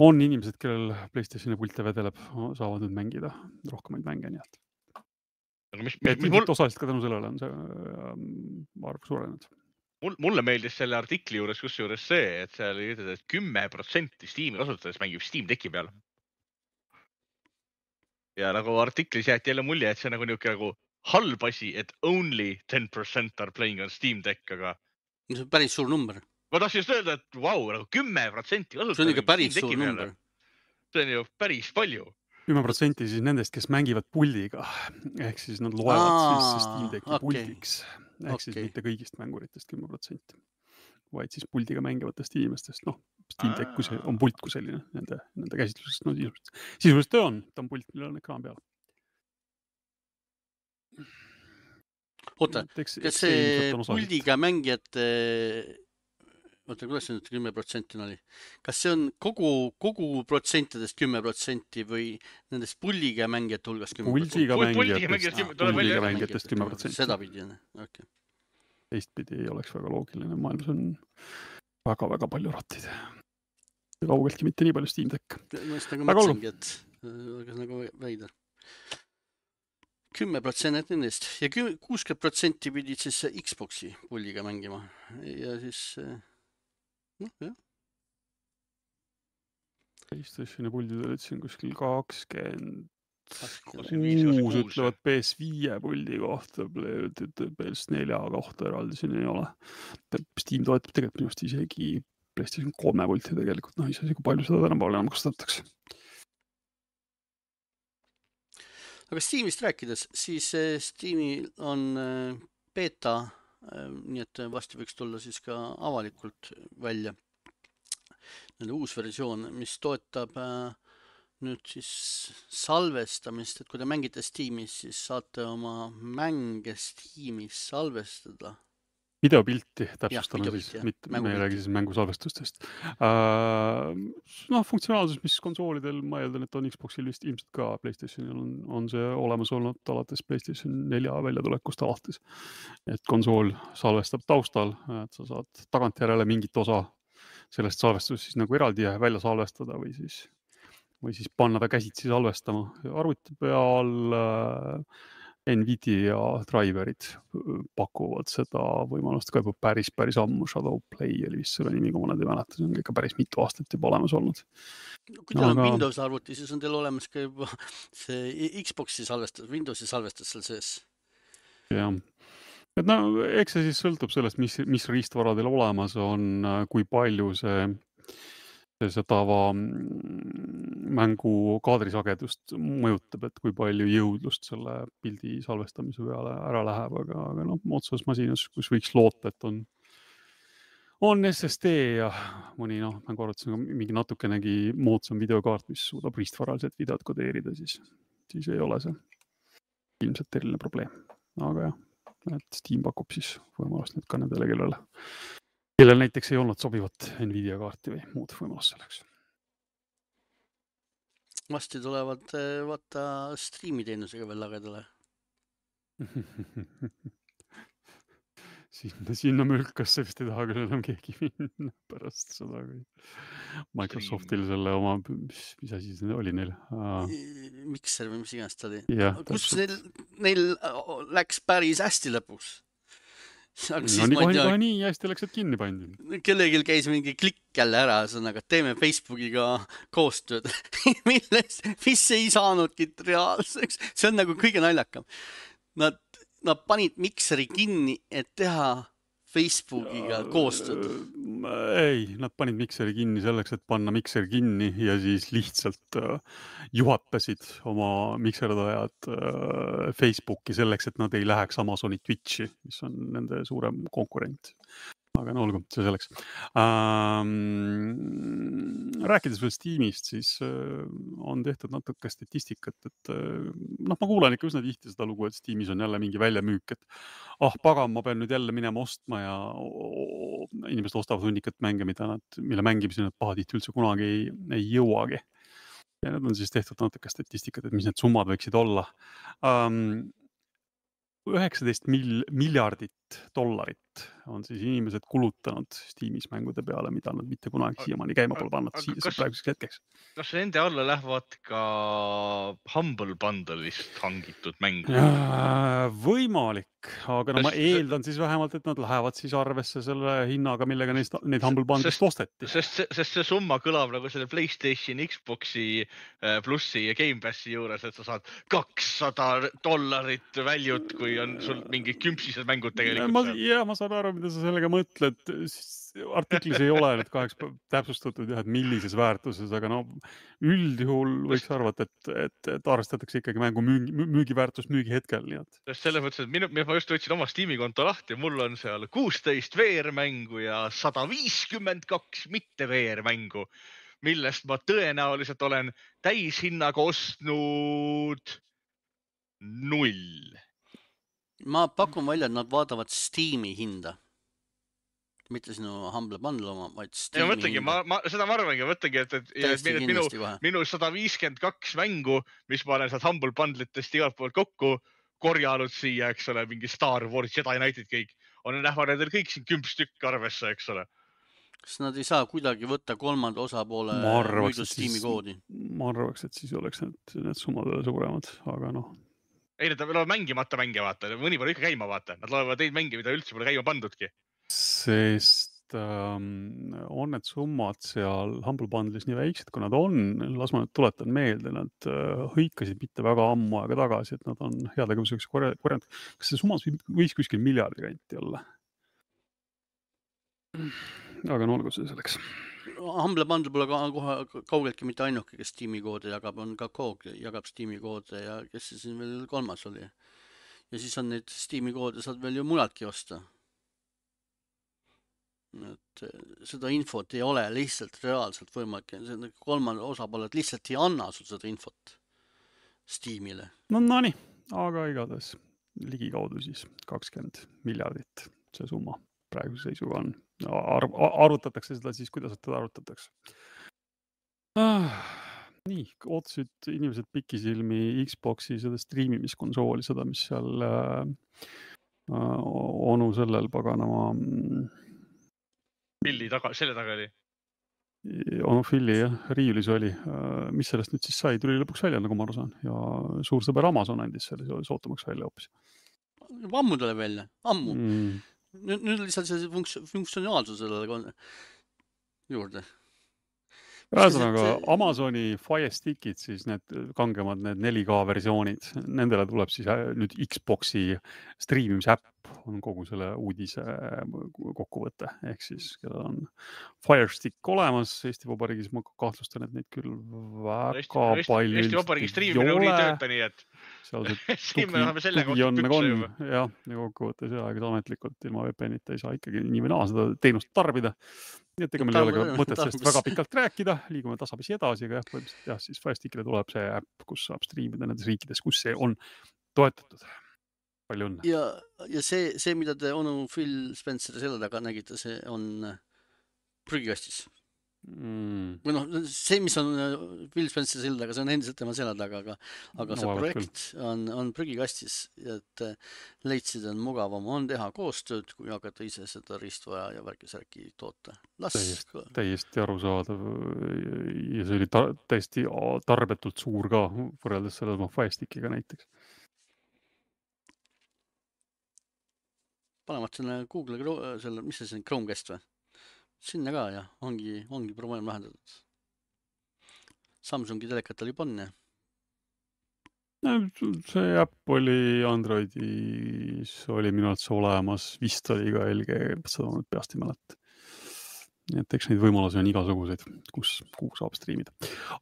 on inimesed, kellel PlayStationi pulte vedeleb, saavad nüüd mängida rohkemaid mänge, nii et Aga mis, et mis, mis ilmselt mul, osaliselt ka tänu sellele on see äh, arv suurenenud. mul, mulle meeldis selle artikli juures kusjuures see, et seal ütled, et kümme protsenti Steam'i kasutajast mängib Steam Decki peal. Ja nagu artiklis jäeti jälle mulje, et see on nagu niuke nagu halb asi, et only ten percent are playing on Steam Deck, aga See on päris suur number. ma tahtsin just öelda, et vau, wow, nagu kümme protsenti See on ikka päris suur number. See on ju päris palju. kümme protsenti siis nendest, kes mängivad puldiga, ehk siis nad loevad Aa, siis Steam Decki okei. puldiks, ehk Okei. siis mitte kõigist mänguritest kümme protsenti, vaid siis puldiga mängivatest inimestest, noh, Steam Deck kui see on pult kui selline, nende, nende käsitlusest, no sisuliselt, sisuliselt ta on, ta on pult, millel on ekraan peal. Oota, Et eks- kas eks see ilmselt on osaliselt- puldiga mängijate, oota, kuidas see nüüd kümme protsenti oli? Kas see on kogu, kogu protsentidest kümme protsenti või nendest puldiga mängijate hulgas kümme protsenti? Puldiga Pul- puldiga mängijatest, mängijatest kümme- tuleb välja, puldiga jah. mängijatest kümme protsenti. Seda pidi, jah. Okay. Teistpidi ei oleks väga loogiline, maailmas on väga-väga palju rattid. Kaugeltki mitte nii palju Steam Deck. Ma just nagu Väga mõtlesingi, et aga nagu veider. kümme protsenti nendest ja kuuskümmend protsenti pidid siis Xboxi puldiga mängima ja siis noh, jah. PlayStationi puldid olid siin kuskil kakskümmend viis, kuus kuus. ütlevad P S viie puldi kohta, P S nelja kohta eraldi siin ei ole. Steam toetab tegelikult minust isegi PlayStation kolme pulti tegelikult, noh isegi kui palju seda tänapäeval enam kasutatakse. Aga Steamist rääkides, siis Steamil on beta, nii et vasti võiks tulla siis ka avalikult välja nende uus versioon, mis toetab nüüd siis salvestamist, et kui te mängite Steamis, siis saate oma mänge Steamis salvestada. Videopilti täpsustame videopilti, siis, jah. mitte me ei Mängupilti. räägi siis mängusalvestustest. Uh, noh, funktsionaalsus, mis konsoolidel, ma eeldan, et on Xboxil vist ilmselt ka PlayStationil on, on see olemas olnud alates PlayStation nelja väljatulekust alates. Et konsool salvestab taustal, et sa saad tagantjärele mingit osa sellest salvestust siis nagu eraldi välja salvestada või siis, või siis panna ta käsitsi salvestama. Arvuti peal uh, Nvidia driverid pakuvad seda võimalust ka juba päris, päris ammu. Shadow Play oli vist selle nimi, kui ma nad ei mäleta, see on ikka päris mitu aastat juba olemas olnud. Kui teil on Aga- Windows arvuti, siis on teil olemas ka juba see Xboxi salvestus, Windowsi salvestus seal sees. jah. Et no, eks see siis sõltub sellest, mis, mis riistvaradel olemas on, kui palju see, see, see tava mm, mängu kaadrisagedust mõjutab, et kui palju jõudlust selle pildi salvestamise peale ära läheb, aga, aga noh, otsas masinas, kus võiks loota, et on on S S D ja mõni noh, mängu arvates on mingi natukenegi moodsam videokaart, mis suudab riistvaraliselt videot kodeerida, siis, siis ei ole see ilmselt eriline probleem. Aga jah, et Steam pakub siis võimalust nüüd ka nendele, kellele, kellel näiteks ei olnud sobivat Nvidia kaarti või muud võimalust selleks. Vasti tulevad eh, vaata striimiteenusega veel lagedale. sinna, sinna mülkasse vist ei taha küll enam keegi minna pärast seda, kui Microsoftil selle oma, mis, mis asi see oli neil? Uh, Mikser või mis iganes ta oli. jah, Kus neil, neil läks päris hästi lõpuks. Aga no siis nii ma ei kohe, tea, kohe nii hästi läks, et kinni pandi. kellegil käis mingi klikk jälle ära, sõnaga, teeme Facebookiga koostööd, milles, mis ei saanudki reaalseks. See on nagu kõige naljakam. Nad, nad panid mikseri kinni, et teha Facebookiga koostööd? Ei, nad panid mikseri kinni selleks, et panna mikser kinni ja siis lihtsalt juhatasid oma mikserdajad Facebooki selleks, et nad ei läheks Amazoni Twitchi, mis on nende suurem konkurent. Aga no olgu, see selleks. Ähm, rääkides veel Steamist, siis äh, on tehtud natuke statistikat, et äh, noh, ma kuulen ikka üsna tihti seda lugu, et Steamis on jälle mingi väljamüük, et ah, pagan, ma pean nüüd jälle minema ostma ja oh, inimesed ostavad hunnikat mänge, mida nad, mille mängimiseni nad pahatihti üldse kunagi ei, ei jõuagi. Ja need on siis tehtud natuke statistikat, et mis need summad võiksid olla. Ähm, üheksateist mil, miljardit dollarit on siis inimesed kulutanud Steamis mängude peale, mida nad mitte kunagi siiamaani käima pole pannud siia praeguseks hetkeks. Kas nende alla lähevad ka Humble Bundle'ist hangitud mängud? Võimalik, aga no ma eeldan siis vähemalt, et nad lähevad siis arvesse selle hinnaga, millega neist, neid Humble Bundle'ist osteti. Sest, sest see summa kõlab nagu selle PlayStation, Xboxi plussi ja Game Passi juures, et sa saad kakssada dollarit väljut, kui on sul mingid kümpsised mängud tegelikult. Ma, ja, ma saan aru, mida sa sellega mõtled. Artiklis ei ole nüüd kaheks täpsustatud, jah, et millises väärtuses, aga no üldjuhul võiks arvata, et, et, et arvestatakse ikkagi mängu müügi, müügiväärtust müügi hetkel. Nii et. Sest selles mõttes, et minu, ma just võtsin oma Steam'i konto lahti ja mul on seal kuusteist V R-mängu ja sada viiskümmend kaks mitte V R-mängu, millest ma tõenäoliselt olen täishinnaga ostnud null. Ma pakun välja, et nad vaatavad Steam'i hinda. Mitte sinu Humble Bundle oma, vaid Steam'i ja mõtlengi, hinda. Ma, ma, seda ma arvangi, mõtlengi, et, et, et minu, minu sada viiskümmend kaks mängu, mis ma olen sealt Humble Bundle'itest igalt poolt kokku korjanud siia, eks ole, mingi Star Wars, Jedi Knighted kõik, on nähva nendel kõik siin kümp stükk arvesse, eks ole. Kas nad ei saa kuidagi võtta kolmanda osapoole müüdud Steam'i koodi? Ma arvaks, et siis oleks need, need summad veel suuremad, aga noh. Ei, nad loevad mängimata mänge, vaata. Mõni pole ikka käima, vaata. Nad loevad neid mänge, mida üldse pole käima pandudki. Sest ähm, on need summad seal Humble Bundle'is nii väiksed, kui nad on. Las ma nüüd tuletan meelde, nad äh, hõikasid mitte väga ammu aega tagasi, et nad on headegevuseks korjanud. Kas see summas võis kuskil miljardi kanti olla? Aga no olgu see selleks. Humble Bundle pole kohe kaugeltki mitte ainuke, kes Steam'i koode jagab, on ka Koog jagab Steam'i koode ja kes see siin veel kolmas oli. Ja siis on neid Steam'i koode saad veel ju muladki osta. Et seda infot ei ole lihtsalt reaalselt võimalik. Kolmand osapooled lihtsalt ei anna sul seda infot Steam'ile. No, no nii, aga igatahes ligikaudu siis kakskümmend miljardit see summa praeguse seisuga on. Ar arvutatakse seda siis, kuidas seda arvutatakse. Ah, nii, ootasid inimesed pikisilmi Xboxi seda striimimiskonsooli, seda, mis seal äh, onu sellel paganama Pilli taga, selle taga oli? Onu Filli, jah, riiulis oli. Mis sellest nüüd siis sai? Tuli lõpuks välja, nagu ma aru saan. Ja suur sõber Amazon andis selle sootamaks välja hoopis. Ammu tuleb välja, ammu. Mm. Nüüd, nüüd lihtsalt see funks funktsionaalsus sellele juurde. Ühesõnaga, Amazoni Fire Stickid, siis need kangemad, need neli K versioonid, nendele tuleb siis nüüd Xboxi striimimise äpp, on kogu selle uudise kokkuvõte. Ehk siis, kellel on Fire Stick olemas Eesti Vabariigis, ma kahtlustan, et neid küll väga Eesti, palju Eesti Vabariigi striimine on nii tööta, nii et tugi, tugi on nagu on. Jah, ja kokkuvõttes ja aegis ametlikult ilma V P N-ita ei saa ikkagi nii või naa seda teenust tarbida. Nii et ega meil ei ole ka mõtet sellest väga pikalt rääkida, liigume tasapisi edasi, aga jah, põhimõtteliselt jah, siis Fire Stickile tuleb see äpp, kus saab striimida nendes riikides, kus see on toetatud. Palju õnne. Ja, ja see, see, mida te onu Phil Spencer selle taga nägite, see on prügikastis. Mm. Või noh, see, mis on Phil Spencer selle taga, see on endiselt tema selle taga, aga, aga see no, projekt on, on prügikastis, et leidsid on mugavam on teha koostööd, kui hakata ise seda riistvaja ja värkisärki toota. Las... Täiesti, täiesti arusaadav ja see oli ta, täiesti tarbetult suur ka võrreldes selle Fire Stickiga näiteks. Panemat selle Google, selle, mis see on, Chromecast või? Sinna ka ja ongi, ongi probleem lahendatud. Samsungi telekat oli panne. See äpp oli Androidis, oli minu arvates olemas, vist oli ka L G, seda ma nüüd peast ei mäleta. Nii et eks neid võimalusi on igasuguseid, kus, kuhu saab striimida.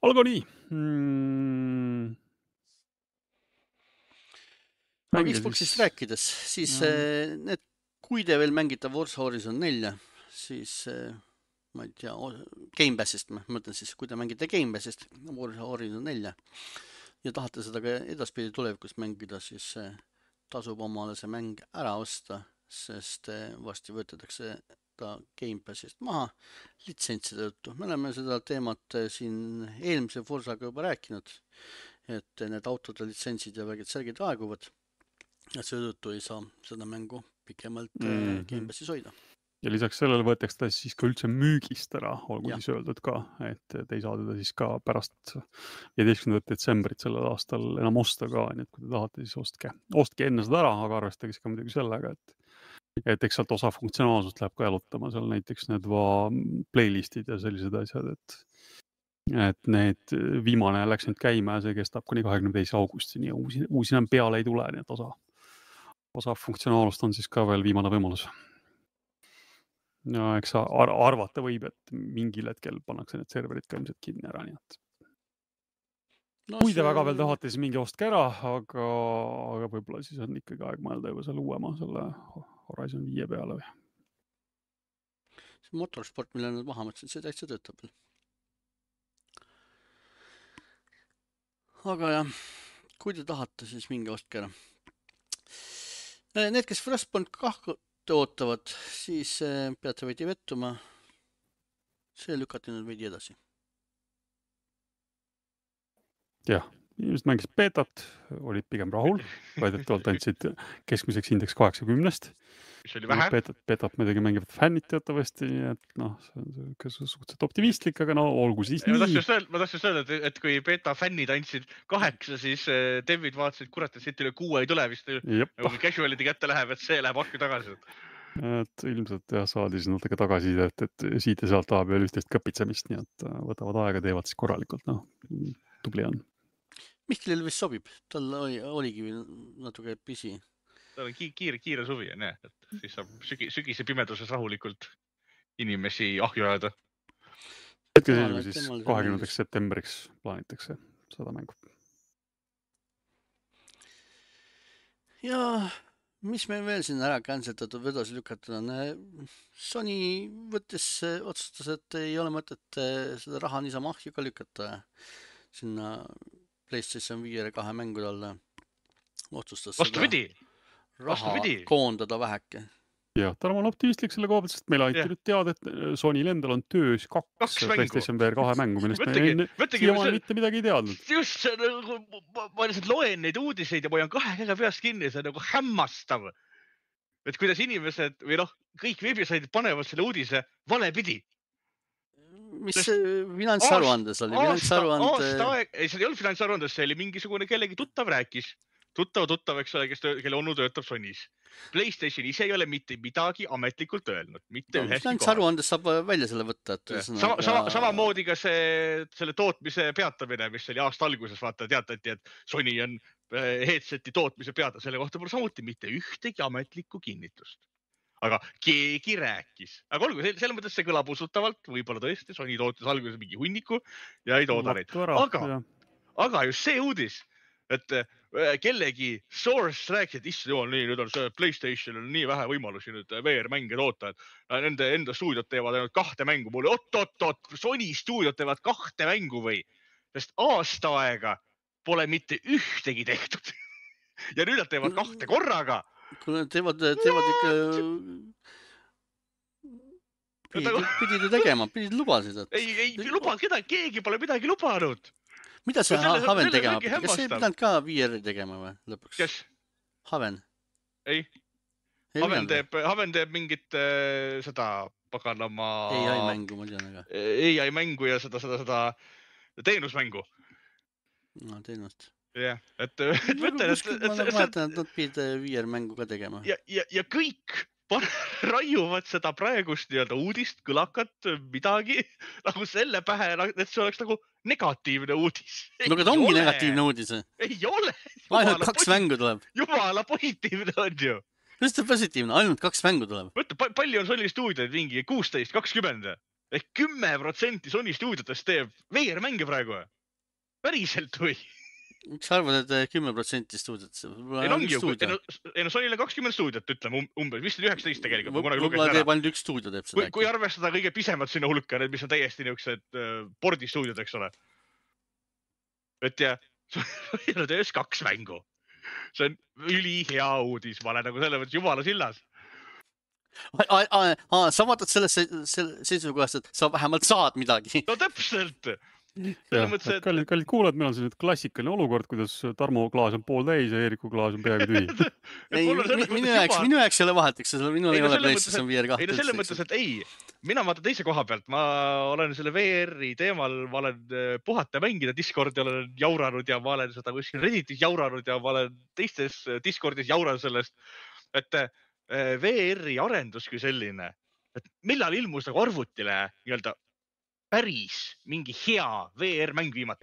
Aga nii. Mm. Aga Xboxist rääkides, siis ja. Need, kui te veel mängite Forza Horizon nelja, siis ma ei tea, Game Passist, ma mõtlen siis, kui te mängite Game Passist Forza Horizon nelja ja tahate seda ka edaspidi tulevikus mängida, siis tasub omale see mäng ära osta, sest vasti võtetakse ta Game Passist maha litsentside tõttu. Me oleme seda teemat siin eelmise Forzaga juba rääkinud, et need autode litsentsid ja vägid särgid aeguvad ja seetõttu ei saa seda mängu pikemalt mm-hmm. Game Passis hoida. Ja lisaks sellele võetakse ta siis ka üldse müügist ära, olgu ja. Siis öeldud ka, et te ei saa teda siis ka pärast viieteistkümnendat detsembrit sellel aastal enam osta ka, nii et kui te tahate, siis ostke, ostke enne seda ära, aga arvestage ka muidugi sellega, et, et eks sealt osa funktsionaalsust läheb ka jalutama, seal näiteks need va playlistid ja sellised asjad, et, et need viimane läks nüüd käima ja see kestab kuni kahekümne teise augustini ja uusi, uusi enam peale ei tule, nii et osa, osa funktsionaalust on siis ka veel viimane võimalus. No eks ar arvata võib, et mingil hetkel pannakse need serverid ka ilmselt kinni ära, nii et no, kui te see... väga veel tahate, siis mingi ostke ära, aga, aga võib-olla siis on ikkagi aeg mõelda juba selle uuema, selle Horizon viie peale või? See motorsport, mille nad maha mõtlesid, see täitsa töötab veel. Aga jah, kui te tahate, siis mingi ostke ära. Need, kes Frostpoint kahku ootavad, siis peate veidi vettuma. See lükati nüüd veidi edasi. Jah, inimesed mängisid beetat, olid pigem rahul, väidetavalt andsid keskmiseks indeks kaheksakümnest. Mis oli vähe. Beetat, beetat muidugi mängivad fännid teatavasti, et noh, see on suhteliselt optimistlik, aga no olgu siis ma nii. Ma tahtsin öelda, et, et kui beta fännid andsid kaheksa, siis devid vaatasid, kurat, et siit üle kuue ei tule vist. Kui casuality kätte läheb, et see läheb akku tagasi. Et ilmselt jah, saadi siis natuke tagasi, et, et siit ja sealt tahab veel ühtest kõpitsemist, nii et võtavad aega, teevad siis korralikult, noh, tubli on. Mihklil vist sobib, tal oli, oligi natuke pisi. Tal on kiire, kiire suvi, on jah, et siis saab sügi, sügise pimeduses rahulikult inimesi ahju ajada. Hetke siis, siis kahekümnendaks septembriks plaanitakse seda mängu. Ja mis meil veel siin ära canceldatud või edasi lükatud on? Sony võttis, otsustas, et ei ole mõtet seda raha niisama ahju ka lükata sinna PlayStation viie kahe mängude alla. Otsustas Vastupidi. raha Vastupidi. koondada väheke. Jah, Tarmo on optimistlik selle koha pealt, sest meil aiti nüüd teada, et Sonyl endal on töös kaks, kaks PlayStation V R kahe mängu, millest me siiamaani mitte midagi ei teadnud. Just, nagu, ma lihtsalt loen neid uudiseid ja ma olen kahe käega peast kinni, see on nagu hämmastav. Et kuidas inimesed või noh, kõik veebisaidid panevad selle uudise valepidi. Mis finantsaruandes oli? Finantsaruande... Aasta aeg, ei, see ei olnud finantsaruandes, see oli mingisugune kellegi tuttav rääkis. Tuttav, tuttav, eks ole, kes töö, kelle onu töötab Sonys. PlayStation ise ei ole mitte midagi ametlikult öelnud. Mitte no, üheski kohas. Aruandes saab välja selle võtta. Et sama, sama, samamoodi ka see, selle tootmise peatamine, mis oli aasta alguses, vaata, teatati, et Sony on headseti tootmise peata. Selle kohta pole samuti mitte ühtegi ametlikku kinnitust. Aga keegi rääkis. Aga olgu, selle mõttes see kõlab usutavalt. Võib-olla tõesti, Sony tootis alguses mingi hunniku ja ei tooda neid. Aga, aga just see uudis, et kellegi source rääkis, et issand jumal, nii, nüüd on see PlayStation on nii vähe võimalusi nüüd V R-mänge toota, et nende enda stuudiot teevad ainult kahte mängu. Mulle, oot, oot, oot, Sony stuudiot teevad kahte mängu või? Sest aasta aega pole mitte ühtegi tehtud. Ja nüüd nad teevad kahte korraga. Kui nad teevad, teevad ikka... Pidid, pidid tegema, pidid lubasid. Et... Ei, ei lubanud kedagi, keegi pole midagi lubanud. Mida see no, selle, Haven tegema? Kas see ei pidanud ka V R tegema või lõpuks? Kes? Haven? Ei. ei Haven, teeb, Haven teeb mingit äh, seda paganama... A I mängu, ma tean, aga... A I mängu ja seda, seda, seda teenusmängu. No, teenust. Jah, et... et, no, et, et, et ma et, vaatan, et nad pidid V R mängu ka tegema. Ja, ja, ja kõik raiuvad seda praegust nii-öelda uudist, kõlakat, midagi nagu selle pähe, et see oleks nagu negatiivne uudis. No aga ta ongi ole. negatiivne uudis. Ei ole. Ainult kaks posi... mängu tuleb. Jumala positiivne on ju. Kuidas ta positiivne? Ainult kaks mängu tuleb. Võtta, palju on Sony stuudioid mingi kuusteist, kakskümmend. Ehk kümme protsenti Sony stuudiotest teeb veer mänge praegu. Päriselt või? Miks arvad, et kümme protsenti stuudiot? Ei ongi ju, ei no Sonyl on kakskümmend stuudiot, ütleme umbes, vist on üheksateist tegelikult. Võib-olla teeb ainult üks stuudio teeb seda. Kui, kui arvestada kõige pisemad sinna hulka, need, mis on täiesti niisugused pordi stuudiod, eks ole. Et ja, Sonyl on töös kaks mängu. See on üli hea uudis, ma olen nagu selle mõttes jumala sillas. Sa vaatad selles seisukohast, et sa vähemalt saad midagi. No täpselt! Ja, mõttes, et... kallid, kallid kuulad, meil on see nüüd klassikaline olukord, kuidas Tarmo klaas on pool täis ja Eeriku klaas on peaaegu tühi. ei, minu jaoks, minu jaoks ei ole vahet, eks see minu ei, no, ei ole PlayStation V R kahte. Ei no selle mõttes, et ei, mina vaatan teise koha pealt, ma olen selle V R-i teemal, ma olen puhata mängida Discordi, olen jauranud ja ma olen seda kuskil Redditis jauranud ja ma olen teistes Discordis jauranud sellest, et V R-i arendus kui selline, et millal ilmus nagu arvutile nii-öelda päris mingi hea V R-mäng viimati.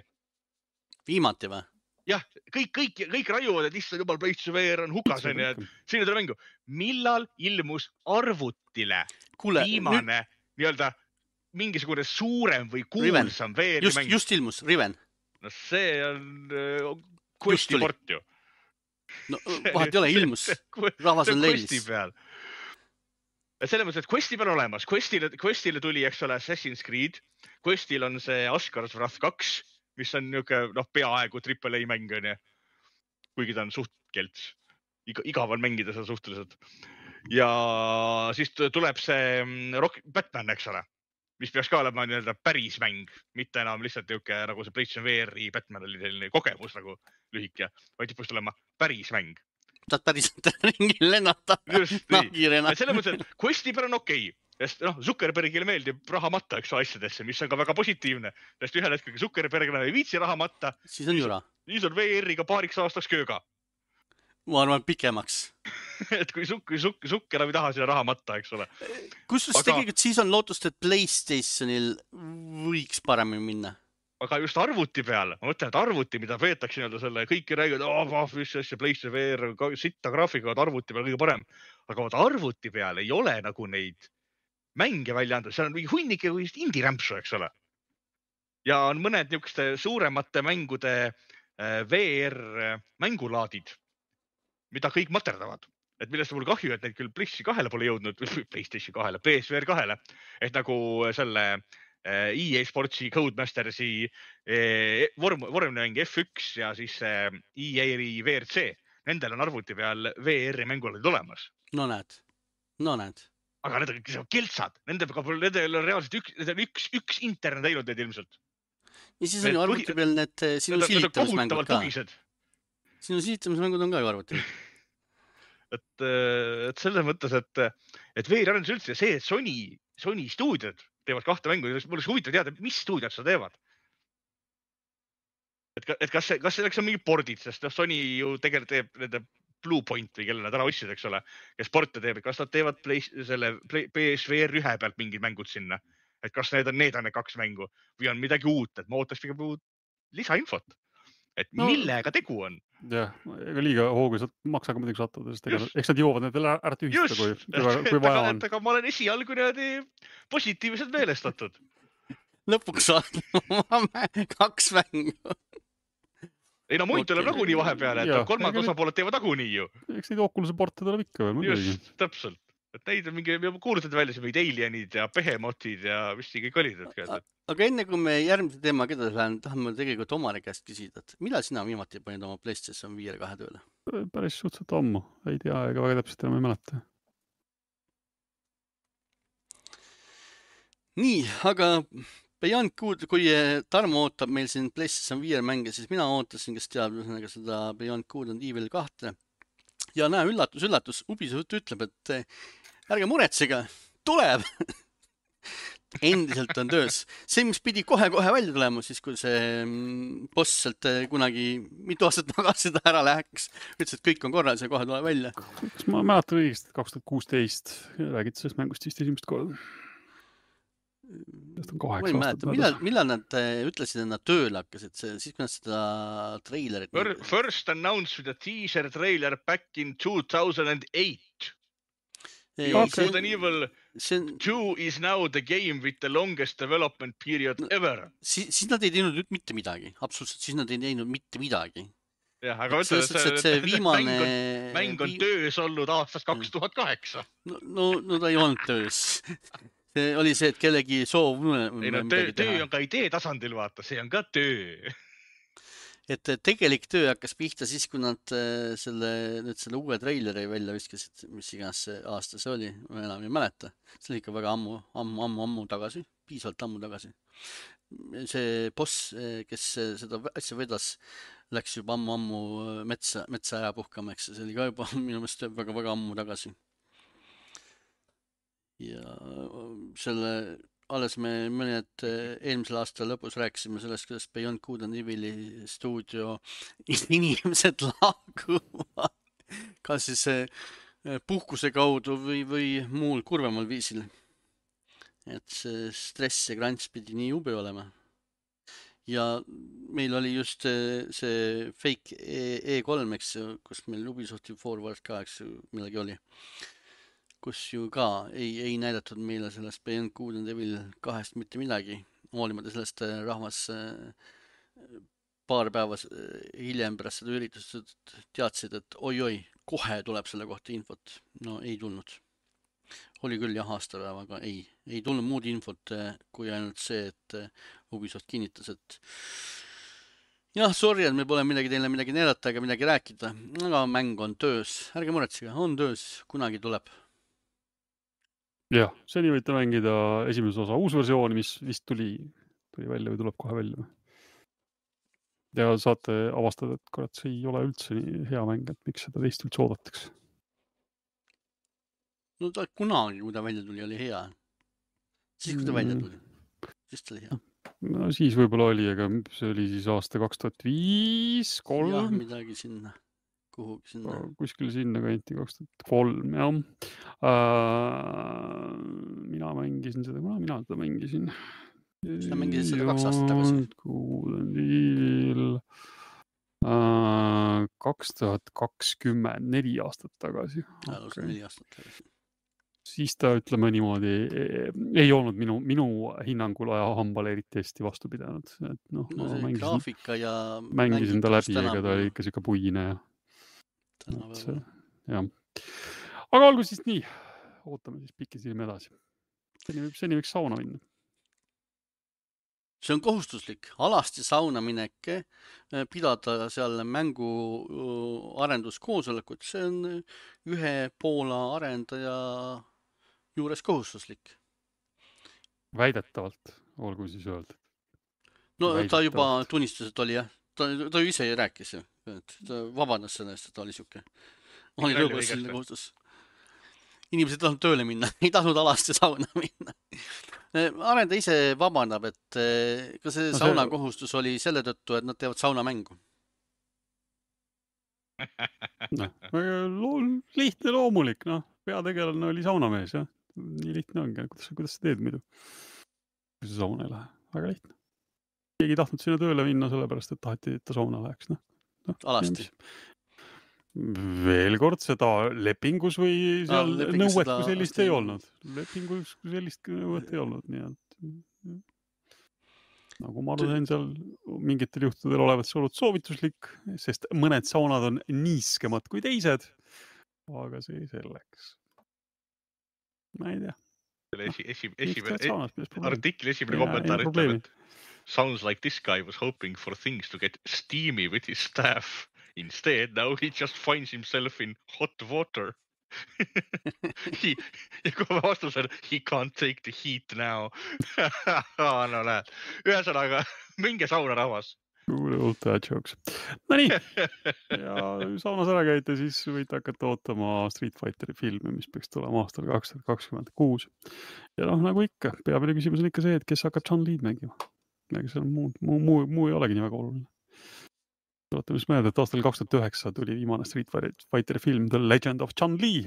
Viimati või? Jah, kõik, kõik, kõik raiuvad, et issand jumal, PlayStation V R on hukas, on ja siin tule mängu. Millal ilmus arvutile Kule, viimane nüüd... nii-öelda mingisugune suurem või kuulsam V R-i just, mäng? Just ilmus, Riven. No see on uh, Questi port ju. No vahet ei ole, ilmus. Rahvas on leilis. Selles mõttes, et Questi peal olemas. Questile, Questile tuli, eks ole, Assassin's Creed. Questil on see Asgard's Wrath kaks, mis on niisugune, noh, peaaegu triple A mäng, on ja. Kuigi ta on suht kelts. Iga, igav on mängida seda suhteliselt. Ja siis tuleb see Rock, Batman, eks ole, mis peaks ka olema nii-öelda päris mäng, mitte enam lihtsalt niisugune nagu see PlayStation V R-i Batman oli selline kogemus nagu lühike, vaid tipust olema päris mäng. Saad päriselt ringil lennata. Just nii. Selle mõttes, et Questi peal on okei. Sest noh, Zuckerbergile meeldib raha matta, eks asjadesse, mis on ka väga positiivne. Sest ühel hetkel Zuckerberg ei viitsi raha matta. Siis on jura. Siis on V R-iga paariks aastaks kööga. Ma arvan pikemaks. et kui Zucker, Zucker, Zucker ei taha sinna raha matta, eks ole. Kustus aga... tegelikult siis on lootust, et PlayStationil võiks paremini minna. Aga just arvuti peal, ma mõtlen, et arvuti, mida veetakse nii-öelda selle, kõiki räägid, oh, mis asja, PlayStation V R, sitta graafikaga, arvuti peal kõige parem. Aga vaata arvuti peal ei ole nagu neid mänge välja anda, seal on mingi hunnik ja indie-rämpsu, eks ole. Ja on mõned niisuguste suuremate mängude V R mängulaadid, mida kõik materdavad. Et millest on mul kahju, et neid küll PlayStation kahele pole jõudnud, PlayStation kahele, P S V R kahele, et nagu selle E A Sportsi, Codemastersi vorm, vormmäng F üks ja siis E A-i V R C. Nendel on arvuti peal V R-i mängulaadid olemas. No näed, no näed. Aga need on keltsad, nendel on reaalselt üks, need on üks, üks interne teinud need ilmselt. Ja siis on ju arvuti peal need sinu silitamismängud ka. Sinu silitamismängud on ka ju arvuti. et, et selles mõttes, et, et V R-arendus üldse see, et Sony, Sony stuudiod teevad kahte mängu, mul oleks huvitav teada, mis stuudiod seda teevad. Et, et kas, see, kas selleks on mingi pordid, sest Sony ju tegelikult teeb nende Bluepoint või kelle nad ära ostsid, eks ole, kes porte teeb, kas nad teevad play, selle play, P S V R ühe pealt mingid mängud sinna, et kas need on, need on need kaks mängu või on midagi uut, et ma ootaks pigem lisainfot, et no, millega tegu on. Jah, ega liiga hoogu maksaga muidugi sattuda, sest ega, eks nad jõuavad need veel ära tühistada, kui, kui, kui vaja on. Aga ma olen esialgu niimoodi positiivselt meelestatud. Lõpuks on kaks mängu. Ei no muid tuleb nagunii vahepeale, et kolmad osapooled teevad nagunii ju. Eks neid Oculus'e porte tuleb ikka veel. Just, täpselt. Et neid on mingi, kuulutad välja see mingid Alienid ja Behemotid ja mis siin kõik olid. Aga enne kui me järgmise teema kedagi lähen, tahame tegelikult Omari käest küsida, et millal sina viimati panid oma PlayStation V R kahe tööle? Päris suhteliselt ammu, ei tea, ega väga täpselt enam ei mäleta. Nii, aga Beyond Good, kui Tarmo ootab meil siin PlayStation V R mänge, siis mina ootasin, kes teab seda Beyond Good and Evil kahte. Ja näe, üllatus, üllatus, Ubisoft ütleb, et ärge muretsega, tuleb. endiselt on töös. See, mis pidi kohe-kohe välja tulema, siis kui see boss sealt kunagi mitu aastat tagasi ta ära läheks, ütles, et kõik on korras ja kohe tuleb välja. Kas ma mäletan õigesti, et kaks tuhat kuusteist räägid sellest mängust vist esimest korda? Sest on kaheksa aastat. Millal, millal nad ütlesid, et nad tööle hakkasid? Siis kui nad seda trailerit... First announced with a teaser trailer back in two thousand eight. Resident Evil two is now the game with the longest development period ever. Siis, siis nad ei teinud mitte midagi. Absoluutselt, siis nad ei teinud mitte midagi. Jah, aga ütlen, et see, see viimane... mäng on, mäng on töös olnud aastast kaks tuhat kaheksa. No, no, no ta ei olnud töös. See oli see, et kellegi soov... Ei, no, töö, töö on ka idee tasandil, vaata. See on ka töö. Et tegelik töö hakkas pihta siis, kui nad selle, nüüd selle uue traileri välja viskasid, mis iganes see aasta see oli, ma enam ei mäleta. See oli ikka väga ammu, ammu, ammu, ammu tagasi, piisavalt ammu tagasi. See boss, kes seda asja vedas, läks juba ammu, ammu metsa, metsa ära puhkama, eks see oli ka juba minu meelest väga, väga ammu tagasi. Ja selle... Alles me mõned eelmisel aastal lõpus rääkisime sellest, kuidas Beyond Good and Evil'i stuudio inimesed laaguvad, kas siis puhkuse kaudu või, või muul kurvemal viisil. Et see stress ja krants pidi nii jube olema. Ja meil oli just see fake E kolm, eks, kus meil Ubisofti Forward ka, eks, millegi oli. Kus ju ka ei, ei näidatud meile sellest Beyond Good and Evil kahest mitte midagi. Hoolimata sellest rahvas paar päeva hiljem pärast seda üritust teadsid, et oi-oi, kohe tuleb selle kohta infot. No ei tulnud. Oli küll jah aastapäev, aga ei. Ei tulnud muud infot kui ainult see, et Ubisoft kinnitas, et jah, sorry, et me pole midagi teile midagi näidata ega midagi rääkida. Aga mäng on töös. Ärge muretsege, on töös. Kunagi tuleb. Jah, seni võite mängida esimese osa uus versioon, mis vist tuli, tuli välja või tuleb kohe välja. Ja saate avastada, et kurat, see ei ole üldse nii hea mäng, et miks seda teist üldse oodataks. No ta kunagi, kui ta välja tuli, oli hea. Siis, kui ta välja tuli, siis ta oli hea. No siis võib-olla oli, aga see oli siis aasta kaks tuhat viis, kolm. Jah, midagi sinna. Kuhugi sinna. Kuskil sinna kanti kaks tuhat kolm, jah. Äh, mina mängisin seda, kuna mina seda mängisin. Seda mängisid seda kaks aastat tagasi. Äh, kaks tuhat kakskümmend, neli aastat tagasi. Okay. Neli aastat tagasi. Siis ta, ütleme niimoodi, ei olnud minu, minu hinnangul aja hambale eriti hästi vastu pidanud. Et noh, no see mängisin, graafika ja... Mängisin ta läbi, ega ta oli ikka siuke puine ja... See, jah. Aga olgu siis nii, ootame siis pikisilme edasi. Seni, seni võiks sauna minna. See on kohustuslik, alasti sauna minek, pidada seal mängu arenduskoosolekut, see on ühe Poola arendaja juures kohustuslik. Väidetavalt, olgu siis öeldud. No ta juba tunnistas, et oli jah. Ta, ta ju ise rääkis, et ta vabandas sellest, et ta oli siuke. Oli lõbus selle kohustus. Inimesed ei tahtnud tööle minna, ei tahtnud alasti sauna minna. Arenda ise vabandab, et ka see no, sauna see... kohustus oli selle tõttu, et nad teevad sauna mängu. No, lihtne loomulik, noh. Peategelane oli saunamees, jah. Nii lihtne ongi, kuidas, kuidas sa teed muidu? Kui see sauna ei lähe, väga lihtne. Keegi tahtnud sinna tööle minna sellepärast, et taheti, et ta sauna läheks. No, no, alasti. Veel kord seda lepingus või seal no, nõuet seda... kui sellist ei olnud. Lepingus kui sellist nõuet ei olnud. Nii et... Nagu ma arvan, seal mingitel juhtudel olevat see olnud soovituslik, sest mõned saunad on niiskemad kui teised. Aga see selleks. Ma ei tea. Esi, esi, esimene, artikli esimene kommentaar ütleb, et sounds like this guy was hoping for things to get steamy with his staff. Instead, now he just finds himself in hot water. he, ja kui vastus on, he can't take the heat now. no näed. Ühesõnaga, minge sauna rahvas. Kuule, old dad jokes. No nii, ja saunas ära käite, siis võite hakata ootama Street Fighteri filmi, mis peaks tulema aastal kaks tuhat kakskümmend kuus. Ja noh, nagu ikka, peamine küsimus on ikka see, et kes hakkab Chun-Li'd mängima. Ega seal muu, muu, muu, muu ei olegi nii väga oluline. Tuletame siis meelde, et aastal kaks tuhat üheksa tuli viimane Street Fighteri film The Legend of Chun-Li.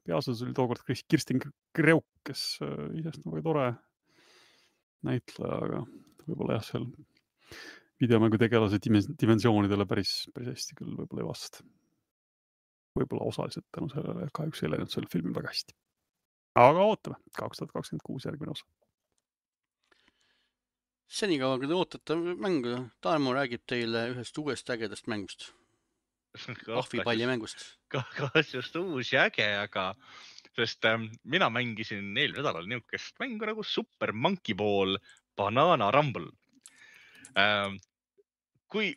Peaosas oli tookord Kirsten Kreuk, kes isest on väga tore näitleja, aga võib-olla jah, seal videomängu tegelase dimensioonidele päris, päris hästi küll võib-olla ei vasta. Võib-olla osaliselt tänu sellele kahjuks ei läinud selle filmi väga hästi. Aga ootame, kaks tuhat kakskümmend kuus järgmine osa. Senikaua, kui te ootate mängu, Tarmo räägib teile ühest uuest ägedast mängust. Ahvipalli mängust. Kas just uus ja äge, aga sest ähm, mina mängisin eelmine nädalal niisugust mängu nagu Super Monkey Ball Banana Rumble. Ähm, kui,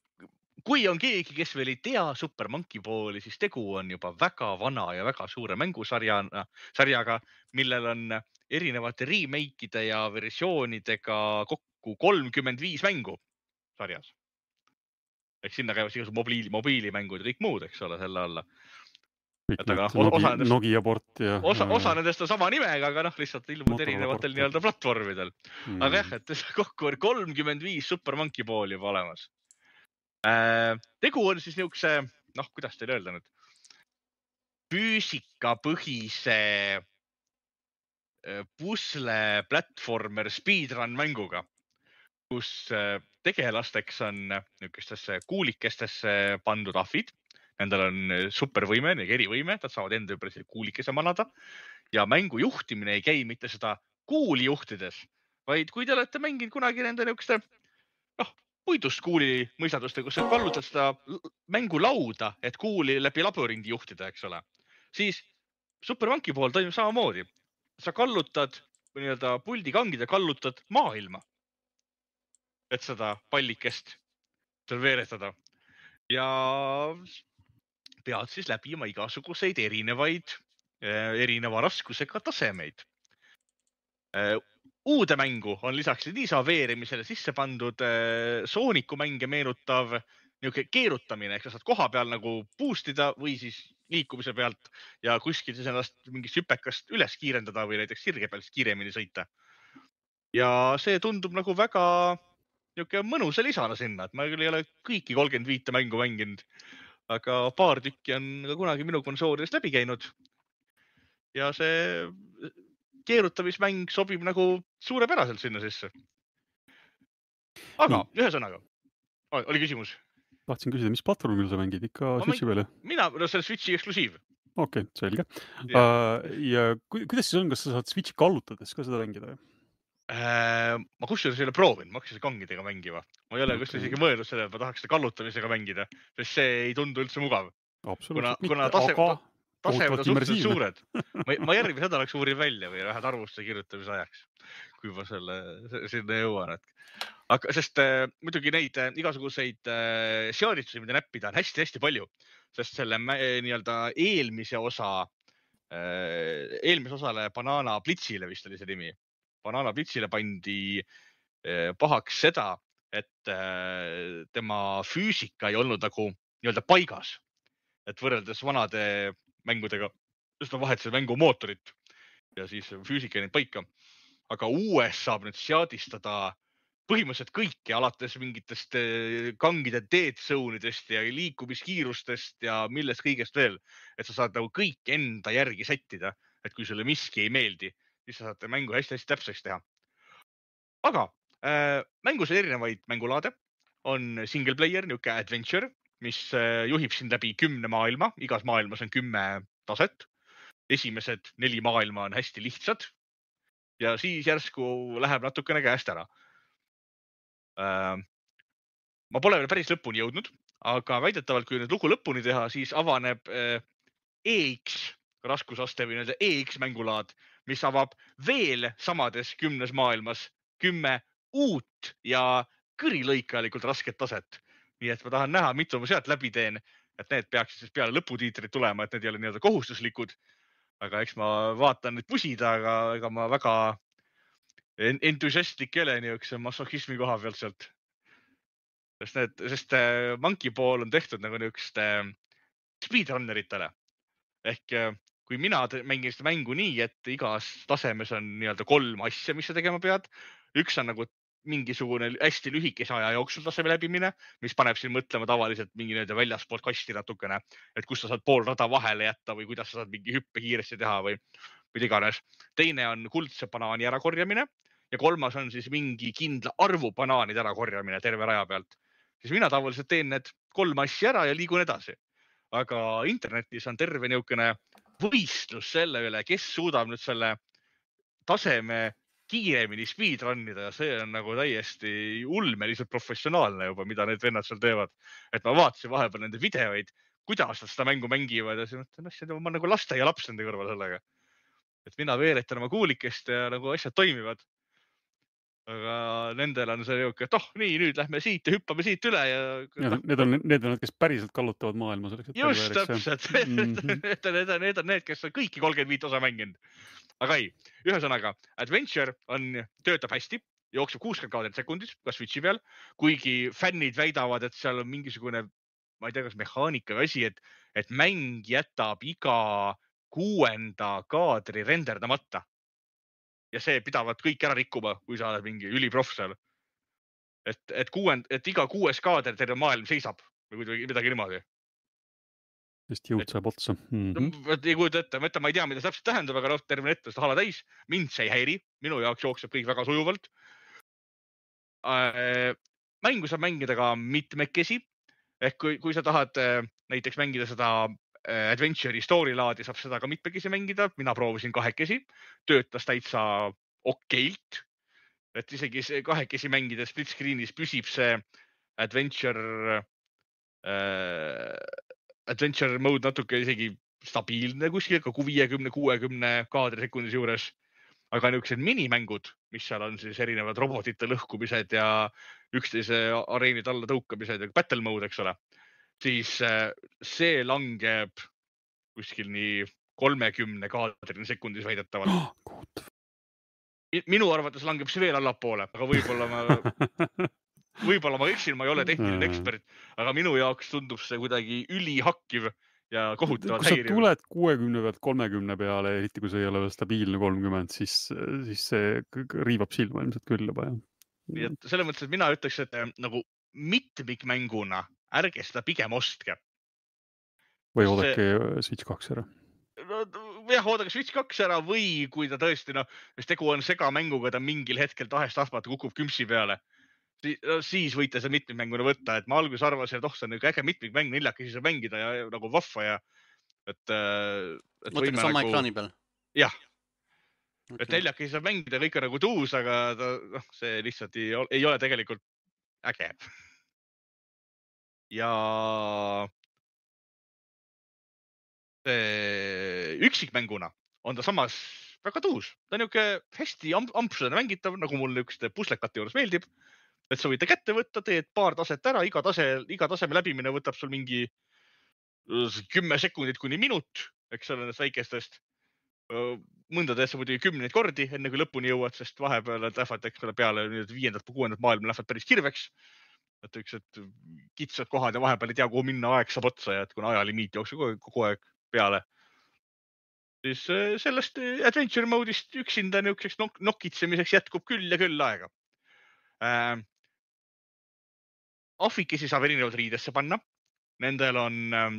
kui on keegi, kes veel ei tea Super Monkey Balli, siis tegu on juba väga vana ja väga suure mängusarjana, sarjaga, millel on erinevate remake'ide ja versioonidega kokku kolmkümmend viis mängu sarjas. Ehk sinna käivad igasugused mobiili, mobiilimängud ja kõik muud, eks ole, selle alla. Kõik et need Nogi, nendest, Nogia port ja... Osa, osa nendest on sama nimega, aga noh, lihtsalt ilmud erinevatel nii-öelda platvormidel. Mm. Aga jah, et kokku on kolmkümmend viis Super Monkey Ball juba olemas. Äh, tegu on siis niisuguse, noh, kuidas teile öelda nüüd, füüsikapõhise pusle platformer speedrun mänguga, kus tegelasteks on niisugustesse kuulikestesse pandud ahvid. Nendel on supervõime, erivõime, nad saavad enda ümber kuulikese manada ja mängu juhtimine ei käi mitte seda kuuli juhtides, vaid kui te olete mänginud kunagi nende niisuguste noh, puidust kuuli mõistaduste, kus sa kallutad seda mängulauda, et kuuli läbi labürindi juhtida, eks ole, siis Super Monkey Ball toimub samamoodi. Sa kallutad nii-öelda puldikangid ja kallutad maailma, et seda pallikest seal veeretada. Ja pead siis läbima igasuguseid erinevaid, erineva raskusega tasemeid. Uude mängu on lisaks Liisa veerimisele sisse pandud Sooniku mänge meenutav niisugune keerutamine, ehk sa saad koha peal nagu boostida või siis liikumise pealt ja kuskil siis ennast mingist hüpekast üles kiirendada või näiteks sirge peal kiiremini sõita. Ja see tundub nagu väga niisugune mõnusa lisana sinna, et ma küll ei ole kõiki kolmkümmend viis mängu mänginud, aga paar tükki on ka kunagi minu konsoolidest läbi käinud. Ja see keerutamismäng sobib nagu suurepäraselt sinna sisse. Aga Nii. ühesõnaga, oli küsimus? Tahtsin küsida, mis platvormil sa mängid? Ikka ma Switchi peale? Mina, no see on Switchi eksklusiiv. Okei, okay, selge. Ja, uh, ja kuidas siis on, kas sa saad Switchi kallutades ka seda mängida? Äh, ma kusjuures ei ole proovinud, ma hakkasin kangidega mängima. Ma ei ole okay. isegi mõelnud selle, et ma tahaks seda kallutamisega mängida, sest see ei tundu üldse mugav. Absoluutselt kuna, kuna tase, aga tasemed on suhteliselt suured. Ma, ma järgmine nädalaks uurin välja või vähed arvuste kirjutamise ajaks, kui ma selle sinna jõuan. Et. Aga, sest äh, muidugi neid äh, igasuguseid äh, seaditusi, mida näppida on hästi-hästi palju, sest selle äh, nii-öelda eelmise osa, äh, eelmise osale Banana Blitzile vist oli see nimi. Banana Blitzile pandi äh, pahaks seda, et äh, tema füüsika ei olnud nagu nii-öelda paigas. Et võrreldes vanade mängudega, just ma vahetasin mängu mootorit ja siis füüsika ei neid paika. Aga uues saab nüüd seadistada põhimõtteliselt kõike, alates mingitest kangide dead zone'idest ja liikumiskiirustest ja millest kõigest veel. Et sa saad nagu kõik enda järgi sättida, et kui sulle miski ei meeldi, siis sa saad mängu hästi-hästi täpseks teha. Aga äh, mängus on erinevaid mängulaade. On single player, niuke adventure, mis juhib sind läbi kümne maailma. Igas maailmas on kümme taset. Esimesed neli maailma on hästi lihtsad. Ja siis järsku läheb natukene käest ära. Ma pole veel päris lõpuni jõudnud, aga väidetavalt, kui nüüd lugu lõpuni teha, siis avaneb E X raskusaste või E X mängulaad, mis avab veel samades kümnes maailmas kümme uut ja kõrilõikalikult rasket taset. Nii et ma tahan näha, mitu ma sealt läbi teen, et need peaksid siis peale lõputiitrid tulema, et need ei ole nii-öelda kohustuslikud. Aga eks ma vaatan nüüd pusida, aga ega ma väga entusiastlik ei ole niisuguse masochismi koha pealt sealt. Sest, need, sest Monkey Ball on tehtud nagu niisugust speedrunneritele. Ehk kui mina mängin seda mängu nii, et igas tasemes on nii-öelda kolm asja, mis sa tegema pead. Üks on nagu mingisugune hästi lühikese aja jooksul taseme läbimine, mis paneb siin mõtlema tavaliselt mingi nii-öelda väljaspoolt kasti natukene, et kus sa saad pool rada vahele jätta või kuidas sa saad mingi hüppe kiiresti teha või mida iganes. Teine on kuldse banaani ärakorjamine ja kolmas on siis mingi kindla arvu banaanid ärakorjamine terve raja pealt. Siis mina tavaliselt teen need kolm asja ära ja liigun edasi. Aga internetis on terve niisugune võistlus selle üle, kes suudab nüüd selle taseme kiiremini speedrunnida ja see on nagu täiesti ulmeliselt professionaalne juba, mida need vennad seal teevad. Et ma vaatasin vahepeal nende videoid, kuidas nad seda mängu mängivad ja siis mõtlen, ma nagu laste ja laps nende kõrval sellega. Et mina veeretan oma kuulikest ja nagu asjad toimivad. Aga nendel on see jõuk, et oh, nii, nüüd lähme siit ja hüppame siit üle. Ja... Need on need, on, kes päriselt kallutavad maailma. Selleks, just täpselt. Mm-hmm. need, on, need on need, kes on kõiki kolmkümmend viis osa mänginud. Aga ei, ühesõnaga, Adventure on, töötab hästi, jookseb kuuskümmend kaadrit sekundis, ka Switchi peal, kuigi fännid väidavad, et seal on mingisugune, ma ei tea, kas mehaanika või asi, et, et mäng jätab iga kuuenda kaadri renderdamata. Ja see pidavad kõik ära rikkuma, kui sa oled mingi üliproff seal. Et, et, kuuend, et iga kuues kaader terve maailm seisab või midagi niimoodi. Sest jõud saab otsa. Mm-hmm. Ei kujuta ette, ma, ma ei tea, mida see täpselt tähendab, aga terve ette seda hala täis. Mind see ei häiri, minu jaoks jookseb kõik väga sujuvalt. Mängu saab mängida ka mitmekesi. Ehk kui, kui sa tahad näiteks mängida seda Adventure'i story laadi, saab seda ka mitmekesi mängida. Mina proovisin kahekesi, töötas täitsa okeilt. Et isegi kahekesi mängida split screen'is püsib see Adventure, äh, Adventure mode natuke isegi stabiilne kuskil, ka viiekümne kuuekümne kaadri sekundis juures. Aga niisugused minimängud, mis seal on siis erinevad robotite lõhkumised ja üksteise areenid alla tõukamised ja battle mode, eks ole. Siis see langeb kuskil nii kolmekümne kaadrini sekundis väidetavalt. Oh, minu arvates langeb see veel allapoole, aga võib-olla ma, võib-olla ma eksin, ma ei ole tehniline ekspert, aga minu jaoks tundub see kuidagi ülihakkiv ja kohutavalt häiriv. Kui sa tuled kuuekümne pealt kolmekümne peale, eriti kui see ei ole veel stabiilne kolmkümmend, siis, siis see riivab silma ilmselt küll juba. Nii et selles mõttes, et mina ütleks, et nagu mitmikmänguna ärge seda pigem ostke. Või oodake see... Switch kaks ära. No, jah, oodake Switch kaks ära või kui ta tõesti, no, sest tegu on segamänguga, ta mingil hetkel tahest tahtmata kukub kümpsi peale, siis, no, siis võite see mitmikmänguna võtta. Et ma alguses arvasin, et oh, see on äge mitmikmäng, neljakesi saab mängida ja nagu vahva ja et, et mõtleme sama nagu... ekraani peal? Jah. Okay. Et neljakesi saab mängida kõik on nagu tuus, aga ta, no, see lihtsalt ei, ei ole tegelikult äge. Ja üksikmänguna on ta samas väga tuus. Ta on niisugune hästi ampsudena mängitav, nagu mul niisuguste puslekate juures meeldib. Et sa võite kätte võtta, teed paar taset ära, iga, tase, iga taseme läbimine võtab sul mingi kümme sekundit kuni minut, eks ole, nendest väikestest. Mõnda teed sa muidugi kümneid kordi, enne kui lõpuni jõuad, sest vahepeal lähevad eks ole, peale viiendat või kuuendat maailma lähevad päris kirveks. Et üks, et kitsad kohad ja vahepeal ei tea, kuhu minna, aeg saab otsa ja et kuna ajalimiit jookseb kogu aeg peale. Siis sellest Adventure mode'ist üksinda niisuguseks nok nokitsemiseks jätkub küll ja küll aega. Äh, Ahvikesi saab erinevad riidesse panna. Nendel on äh,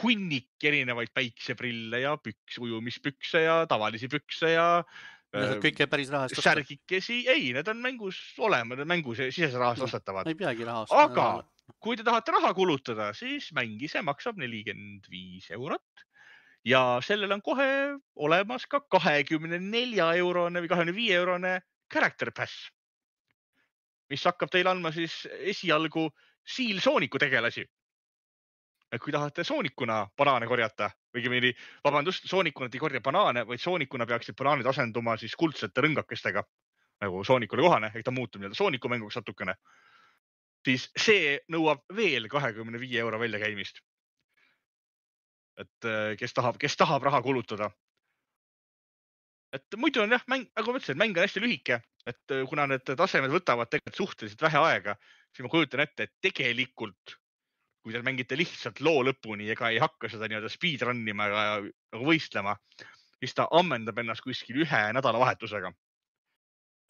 hunnik erinevaid päikseprille ja püks, ujumispükse ja tavalisi pükse ja Need kõik ei päris rahast osta. Särgikesi, ei, need on mängus olema, need mängus sisese rahast ostetavad. Ei peagi rahast. Aga kui te tahate raha kulutada, siis mängise maksab nelikümmend viis eurot ja sellel on kohe olemas ka kahekümne nelja eurone või kahekümne viie eurone character pass, mis hakkab teile andma siis esialgu Seal Sooniku tegelasi. Et kui tahate soonikuna banaane korjata, või vabandust, soonikuna ei korja banaane, vaid soonikuna peaksid banaanid asenduma siis kuldsete rõngakestega, nagu soonikule kohane, ehk ta muutub nii-öelda soonikumänguks natukene. Siis see nõuab veel kahekümne viie euro väljakäimist. Et kes tahab, kes tahab raha kulutada. et muidu on jah, mäng, nagu ma ütlesin, mäng on hästi lühike, et kuna need tasemed võtavad tegelikult suhteliselt vähe aega, siis ma kujutan ette, et tegelikult, kui te mängite lihtsalt loo lõpuni ega ei hakka seda nii-öelda speedrunnima ja nagu võistlema, siis ta ammendab ennast kuskil ühe nädalavahetusega.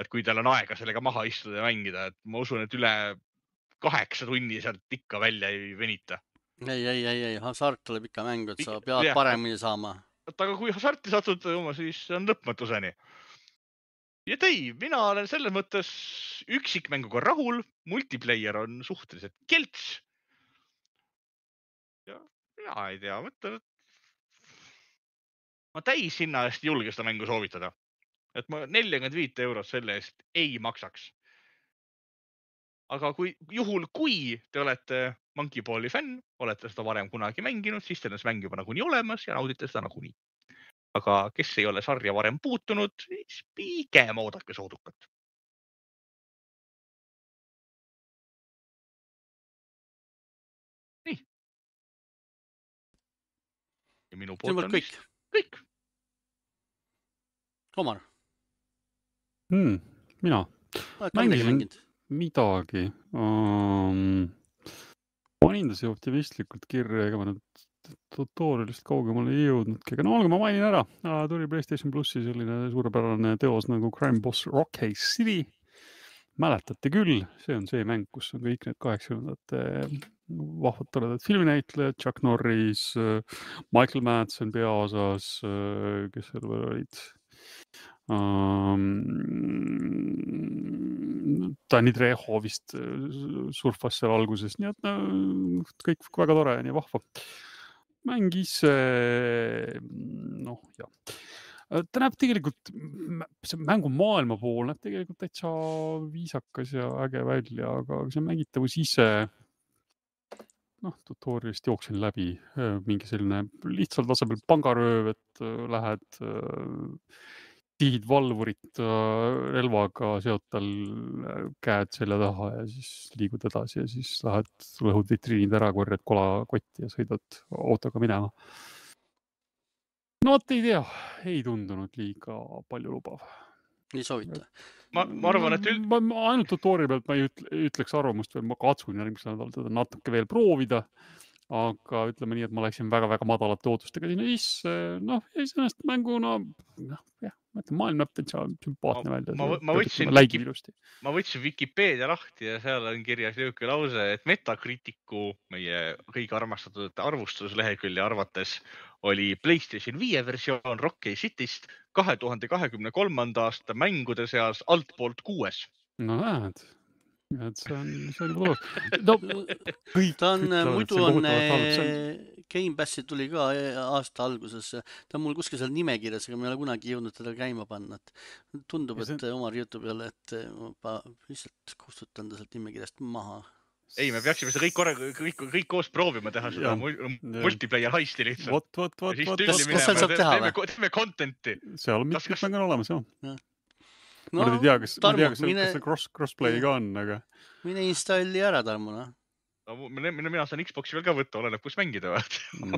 Et kui teil on aega sellega maha istuda ja mängida, et ma usun, et üle kaheksa tunni sealt ikka välja ei venita. Ei, ei, ei, ei, hasart tuleb ikka mängu, et sa pead jah, paremini saama. et aga kui hasarti satud oma, siis on lõpmatuseni. Ja ei, mina olen selles mõttes üksikmänguga rahul, multiplayer on suhteliselt kelts. Ja mina ei tea, mõtlen, et ma täis hinna eest julge seda mängu soovitada. Et ma nelikümmend viis eurot selle eest ei maksaks. Aga kui, juhul, kui te olete Monkey Balli fänn, olete seda varem kunagi mänginud, siis teil on see mäng juba nagunii olemas ja naudite seda nagunii. Aga kes ei ole sarja varem puutunud, siis pigem oodake soodukat. Nii. Ja minu poolt on kõik. kõik. Omar. Hmm, mina. Mängisin midagi. Um, panin ta see optimistlikult kirja, ega ma nüüd tutorialist kaugemale ei jõudnudki. Aga no olgu, ma mainin ära. Tuli PlayStation Plussi selline suurepärane teos nagu Crime Boss Rockcase City. Mäletate küll, see on see mäng, kus on kõik need kaheksakümnendate vahvad toredad filminäitlejad, Chuck Norris, Michael Madsen peaosas, kes seal veel olid. Um, Danny Trejo vist surfas seal alguses, nii et no, kõik väga tore ja nii vahva. Mäng ise, noh jah, ta näeb tegelikult, see mängu maailma pool näeb tegelikult täitsa viisakas ja äge välja, aga see mängitavus ise, noh, tutorialist jooksin läbi mingi selline lihtsalt tasemel pangarööv, et lähed tihid valvurit relvaga, seod tal käed selja taha ja siis liigud edasi ja siis lähed, lõhud vitriinid ära, korjad kolakotti ja sõidad autoga minema. No vot ei tea, ei tundunud liiga palju lubav. Ei soovita. Ma, ma arvan, et... Ma, ma ainult tutorial pealt ma ei ütleks arvamust veel, ma katsun järgmisel nädalal teda natuke veel proovida. Aga ütleme nii, et ma läksin väga-väga madalate ootustega sinna sisse. Noh, ja sellest mängu, no, noh, jah, ma ütlen, maailm näeb täitsa sümpaatne välja. Ma, ma, võtsin Wiki, ma võtsin Wikipedia lahti ja seal on kirjas jõuke lause, et Metacriticu, meie kõige armastatud arvustuslehekülje arvates, oli PlayStation viie versioon Rockcase Cityst kahe tuhande kahekümne kolmanda aasta mängude seas altpoolt kuues. No näed. Et see on, see on juba no, kõik ta on, ütlevad, muidu on, on Game Passi tuli ka aasta alguses, ta on mul kuskil seal nimekirjas, aga ma ei ole kunagi jõudnud teda käima panna, et tundub, et see... Omar jutu peale, et ma lihtsalt kustutan ta sealt nimekirjast maha. Ei, me peaksime seda kõik, korra, kõik, kõik koos proovima teha seda ja, multiplayer heisti lihtsalt. Vot, vot, vot, vot. Kas, kas seal saab teha või? Teeme contenti. Seal on mitmed mängud olemas, jah. Ja. No, ma ei tea, kas, Tarmo, tea, kas, mine, kas see cross, crossplay ka on, aga... Mine installi ära, Tarmo, noh. No, mina, mina saan Xboxi veel ka võtta, oleneb, kus mängida. No.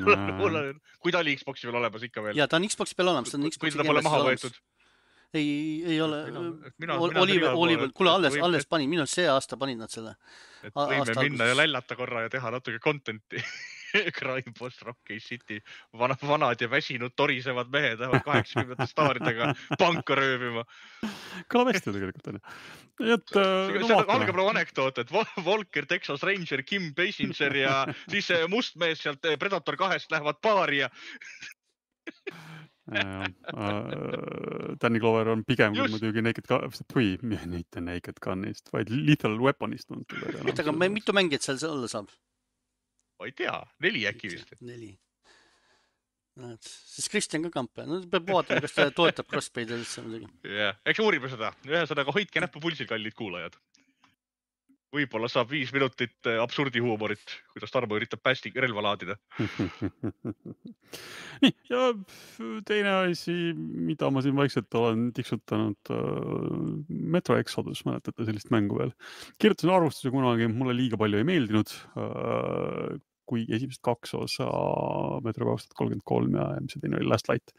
Kui ta oli Xboxi veel olemas ikka veel. Ja, ta on Xboxi peal olemas. Ta on Xboxi kui ta pole maha võetud. Ei, ei ole. Oliver, Oliver, kuule, alles, alles panin. Minu see aasta panin nad selle. Et võime minna ja lällata korra ja teha natuke contenti. Crime Boss Rockcase City. Vanad, vanad ja väsinud torisevad mehed lähevad kaheksakümnendate staaridega panka röövima. Kõlab hästi tegelikult, on. Et, see no, on algab nagu anekdoot, et Volker, Texas Ranger, Kim Basinger ja siis mustmees sealt Predator kahest lähevad baari ja... Danny Glover on pigem kui muidugi Naked Gun, või mitte Naked Gunist, vaid Lethal Weaponist. Et aga mitu mängijat seal olla saab? Ma ei tea, neli äkki vist. Neli. Siis Kristjan ka kamp. No, peab vaatama, kas ta toetab crossplay'd üldse muidugi. Yeah. Eks uurime seda. Ühesõnaga hoidke näppu pulsil, kallid kuulajad. Võib-olla saab viis minutit absurdi huumorit, kuidas Tarmo üritab päästi relva laadida. Nii, ja teine asi, mida ma siin vaikselt olen tiksutanud, Metro Exodus, mäletate sellist mängu veel. Kirjutasin arvustuse kunagi, mulle liiga palju ei meeldinud, kui esimesed kaks osa Metro kaks tuhat kolmkümmend kolm ja mis see teine oli Last Light.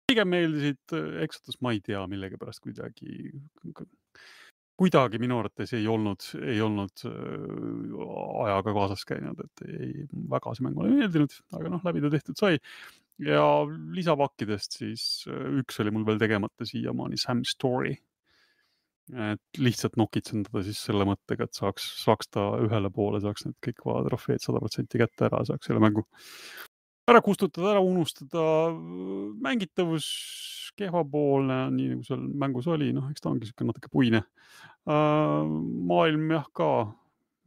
pigem meeldisid Exodus, ma ei tea, millegi pärast kuidagi, kuidagi minu arvates ei olnud, ei olnud ajaga kaasas käinud, et ei, väga see mäng mulle meeldinud, aga noh, läbi ta tehtud sai. Ja lisapakkidest siis üks oli mul veel tegemata siiamaani Sam Story. Et lihtsalt nokitsendada siis selle mõttega, et saaks, saaks ta ühele poole, saaks need kõik vaad trofeed sada protsenti kätte ära, saaks selle mängu ära kustutada, ära unustada, mängitavus kehvapoolne, nii nagu seal mängus oli, noh, eks ta ongi siuke natuke puine. Maailm jah ka,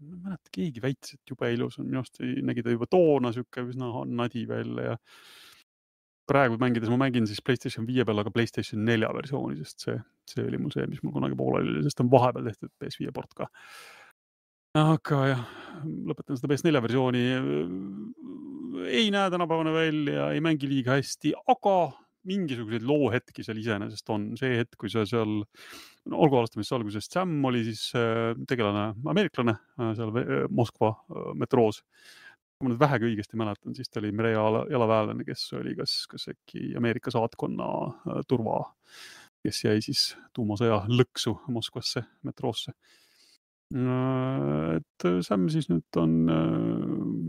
ma ei mäleta, keegi väitis, et jube ilus on, minu arust nägi ta juba toona siuke üsna nadi välja ja praegu mängides ma mängin siis PlayStation viie peal, aga PlayStation nelja versiooni, sest see, see oli mul see, mis mul kunagi pooleli oli, sest on vahepeal tehtud P S viie port ka. Aga jah, lõpetan seda P S nelja versiooni. Ei näe tänapäevane välja, ei mängi liiga hästi, aga mingisuguseid loohetki seal iseenesest on. See hetk, kui see seal, no, olgu alustamist algusest, Sam oli siis tegelane ameeriklane seal Moskva metroos. Kui ma nüüd vähegi õigesti mäletan, siis ta oli merejalaväelane, kes oli kas, kas äkki Ameerika saatkonna turva, kes jäi siis tuumasõja lõksu Moskvasse metroosse. Et Sam siis nüüd on,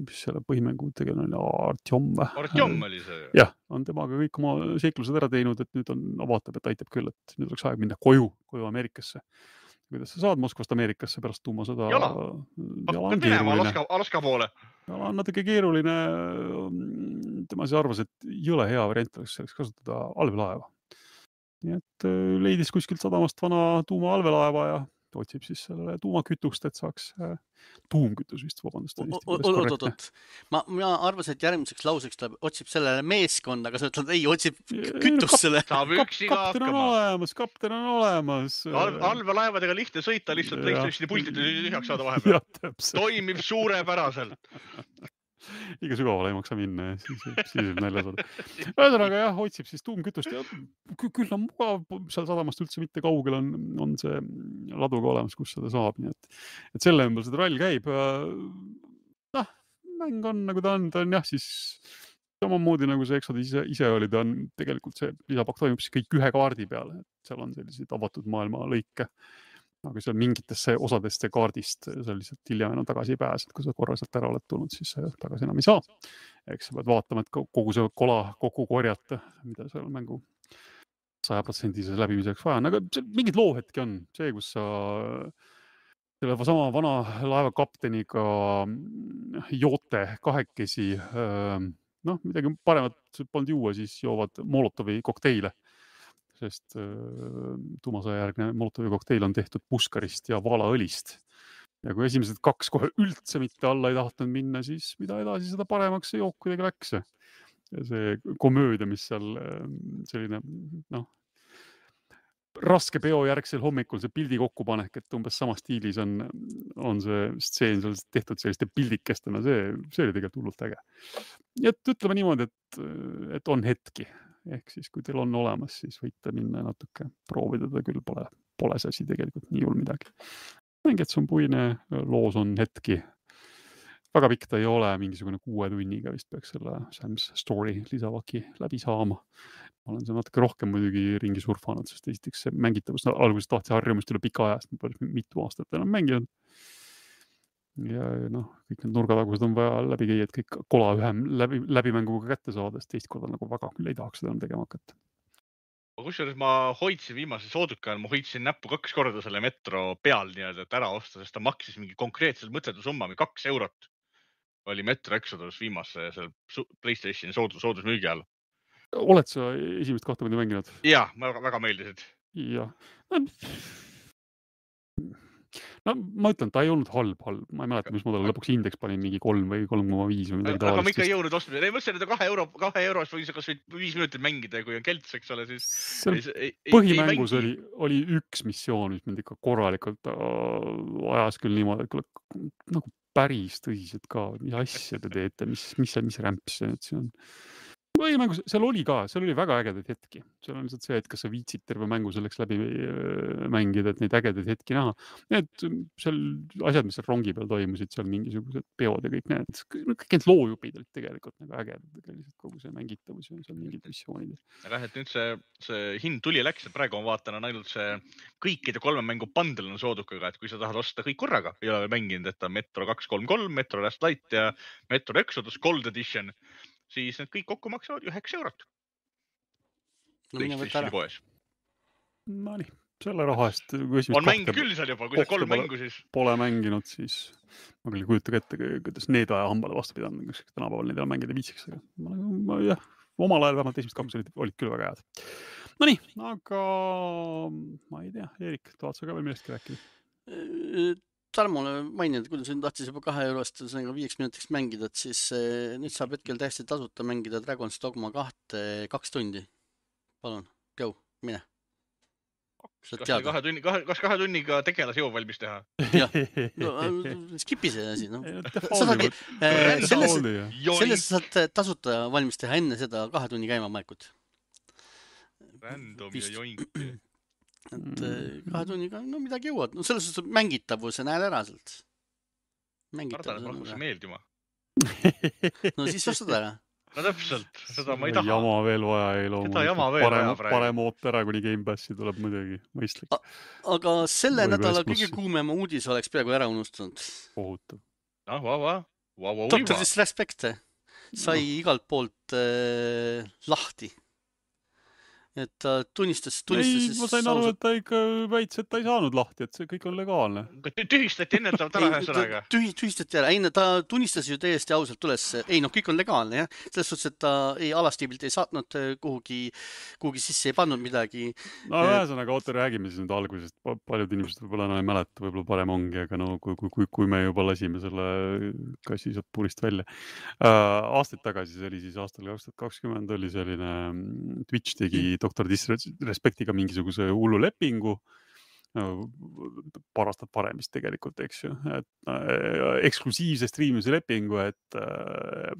mis selle põhimängu tegelane oli, Artjom või? Artjom oli see. Jah, on temaga kõik oma seiklused ära teinud, et nüüd on, vaatab, et aitab küll, et nüüd oleks aeg minna koju, koju Ameerikasse. Kuidas sa saad Moskvast Ameerikasse pärast tuumasõda? Jala. Jala on Minema keeruline. Alaska, Alaska poole. Jala on natuke keeruline. Tema siis arvas, et jõle hea variant oleks selleks kasutada allveelaeva. Nii et leidis kuskilt sadamast vana tuuma allveelaeva ja otsib siis sellele tuumakütust, et saaks äh, tuumkütus vist, vabandust. Oot-oot-oot. Ma, ma arvasin, et järgmiseks lauseks ta otsib sellele meeskond, aga sa ütled, ei, otsib kütust selle. Saab üksi ka kapten on hakkama. olemas, kapten on olemas. Allveelaevadega lihtne sõita, lihtsalt PlayStationi pultid tühjaks saada vahepeal. Ja, täpselt. Toimib suurepäraselt. Liiga sügavale ei maksa minna ja siis, siis võib nälja saada. Ühesõnaga jah, otsib siis tuumkütust ja küll on mugav, seal sadamast üldse mitte kaugel on, on see ladu ka olemas, kus seda saab. Nii et, et selle ümber seda rall käib. Noh, mäng on nagu ta on, ta on jah siis samamoodi nagu see Exodus ise, ise oli, ta on tegelikult see lisapakk toimub siis kõik ühe kaardi peale. Seal on sellised avatud maailma lõike. Aga seal mingitesse osadesse kaardist sa lihtsalt hiljem enam tagasi ei pääse, et kui sa korra sealt ära oled tulnud, siis tagasi enam ei saa. Eks sa pead vaatama, et kogu see kola kokku korjata, mida seal mängu saja protsendise läbimiseks vaja on. Aga mingid loohetki on see, kus sa selle sama vana laevakapteniga joote kahekesi, noh, midagi paremat polnud juua, siis joovad Molotovi kokteile. Sest tuumasõja järgne Molotovi kokteil on tehtud puskarist ja vaalaõlist. Ja kui esimesed kaks kohe üldse mitte alla ei tahtnud minna, siis mida edasi seda paremaks see jook kuidagi läks. Ja see komöödia, mis seal selline, noh, raske peo järgsel hommikul see pildi kokkupanek, et umbes sama stiilis on, on see stseen seal tehtud selliste pildikestena, see, see oli tegelikult hullult äge. Ja et ütleme niimoodi, et, et on hetki. Ehk siis, kui teil on olemas, siis võite minna natuke proovida, ta küll pole, pole see asi tegelikult nii hull midagi. Mängid, see on puine, loos on hetki. Väga pikk ta ei ole, mingisugune kuue tunniga vist peaks selle Sam's Story lisavaki läbi saama. Ma olen see natuke rohkem muidugi ringi surfanud, sest esiteks see mängitavus alguses tahtsi harjumist üle pika ajast, mitu aastat enam mänginud. Ja noh, kõik need nurgatagused on vaja läbi käia, et kõik kola ühem läbi, läbimänguga kätte saada, sest teist korda nagu väga küll ei tahaks seda tegema hakata. Kusjuures ma hoidsin viimase sooduka ajal, ma hoidsin näppu kaks korda selle metro peal nii-öelda, et ära osta, sest ta maksis mingi konkreetselt mõtletu summa, kaks eurot oli Metro Exodus viimase seal PlayStationi soodus, soodusmüügi all. Oled sa esimest kahte mõnda mänginud? Jaa, väga, väga meeldisid. Jah. No ma ütlen, ta ei olnud halb, halb. Ma ei mäleta, mis ma talle lõpuks indeks panin mingi kolm või kolm koma viis või midagi tavalist. Aga ma ikka ei jõudnud ostma. Ei mõtlesin, et kahe euro, kahe eurost võis kas viis minutit mängida, kui on kelts, eks ole, siis... Ei, põhimängus ei, oli, oli üks missioon, mis mind ikka korralikult ajas küll niimoodi, et nagu päris tõsiselt ka, mis asja te teete, mis, mis, mis rämps see nüüd siin on. põhimängus, seal oli ka, seal oli väga ägedaid hetki. Seal on lihtsalt see, et kas sa viitsid terve mängu selleks läbi mängida, et neid ägedaid hetki näha. Need seal asjad, mis seal rongi peal toimusid, seal mingisugused peod ja kõik need, kõik need loojupid olid tegelikult nagu ägedad, tegelikult kogu see mängitavus ja seal mingid missioonid. Aga et nüüd see, see hind tuli ja läks, et praegu ma vaatan on ainult see kõikide kolme mängu bundle on soodukaga, et kui sa tahad osta kõik korraga, ei ole mänginud, et on Metro kaks kolm kolm, Metro Last Light ja Metro Exodus Gold Edition, siis need kõik kokku maksavad üheksa eurot. No mine võtta ära. No nii, selle raha eest. On mäng küll seal juba, kui sa kolm mängu siis. Pole mänginud, siis ma küll kujutage ette, kuidas need aja hambale vastu pidanud, kus tänapäeval neid on mängida viitsiks. Aga ma, jah, omal ajal vähemalt esimest kaks olid, olid küll väga head. No nii, aga ma ei tea, Eerik, tahad sa ka veel millestki rääkida? Tarmole maininud, kui sa tahtis juba kahe eurost viieks minutiks mängida, et siis nüüd saab hetkel täiesti tasuta mängida Dragon's Dogma kahte kaks tundi. Palun, go, mine. Kas kahe, tunni, kahe, kas kahe tunniga tegelas jõu valmis teha? Jah, no, skipi see asi. No. Saadagi, selles, selles saad tasuta valmis teha enne seda kahe tunni käima maekut. Random ja joink. Et kahe tunniga, no midagi jõuad. No selles suhtes mängitavuse näed ära sealt. Mängitavuse näed ära. Meeldima. No siis ostad ära. No täpselt, seda ma ei taha. Jama veel vaja ei loomu. Seda jama veel parem, vaja praegu. Parem oot ära, kuni Game Passi tuleb muidugi mõistlik. Aga selle Või nädala kõige kuumema uudis oleks peaaegu ära unustanud. Ohutab. No, va, va. Va, va, Doctor Disrespect sai no. igalt poolt äh, lahti. Et ta tunnistas, tunnistas... Ei, ma sain aru, et ta ikka väits, et ta ei saanud lahti, et see kõik on legaalne. Tühistati ennetavalt ära ühe sõnaga. Tühistati ära. Ei, ta tunnistas ju täiesti ausalt üles. Ei, noh, kõik on legaalne, jah. Selles suhtes, et ta ei alastiibilt ei saatnud kuhugi, kuhugi sisse, ei pannud midagi. No, ühesõnaga, oota, räägime siis nüüd algusest. Paljud inimesed võib-olla enam ei mäleta, võib-olla parem ongi, aga no, kui, kui, kui me juba lasime selle kassi saab purist välja. Uh, aastaid tagasi, see oli siis aastal kaks tuhat kakskümmend, oli selline Twitch tegi Doctor Disrespectiga mingisuguse hullu lepingu, paar aastat varem vist tegelikult, eks ju, et äh, eksklusiivse striimise lepingu, et, äh,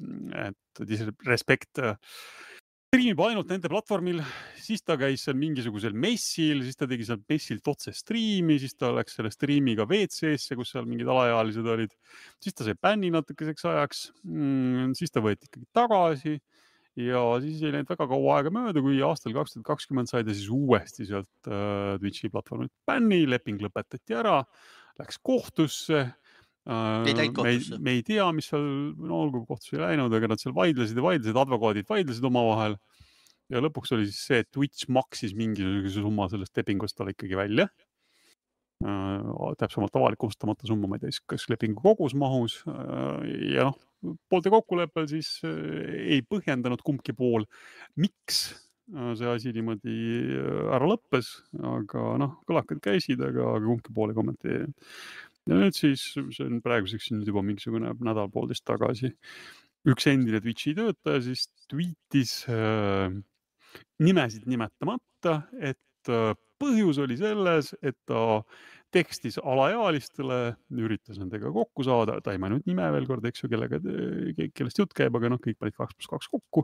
et Disrespect striimib ainult nende platvormil, siis ta käis seal mingisugusel messil, siis ta tegi seal messilt otse striimi, siis ta läks selle striimiga V C S-e, kus seal mingid alaealised olid, siis ta sai bänni natukeseks ajaks, mm, siis ta võeti ikkagi tagasi. Ja siis ei läinud väga kaua aega mööda, kui aastal kaks tuhat kakskümmend sai ta siis uuesti sealt äh, Twitchi platvormid bänni, leping lõpetati ära, läks kohtusse. Äh, ei läinud kohtusse. Me, me ei tea, mis seal, no olgu kohtusse ei läinud, aga nad seal vaidlesid ja vaidlesid, advokaadid vaidlesid oma vahel. Ja lõpuks oli siis see, et Twitch maksis mingisuguse summa sellest lepingust talle ikkagi välja. Äh, täpsemalt avalikustamata summa, ma ei tea, kas lepingu kogus mahus äh, ja noh, poolte kokkuleppel siis ei põhjendanud kumbki pool, miks see asi niimoodi ära lõppes, aga noh, kõlakad käisid, aga kumbki pool ei kommenteerinud. Ja nüüd siis, see on praeguseks nüüd juba mingisugune nädal poolteist tagasi, üks endine Twitchi töötaja siis tweetis äh, nimesid nimetamata, et äh, põhjus oli selles, et ta tekstis alaealistele, üritas nendega kokku saada, ta ei maininud nime veel kord, eks ju, kellega, kellest jutt käib, aga noh, kõik panid kaks pluss kaks kokku,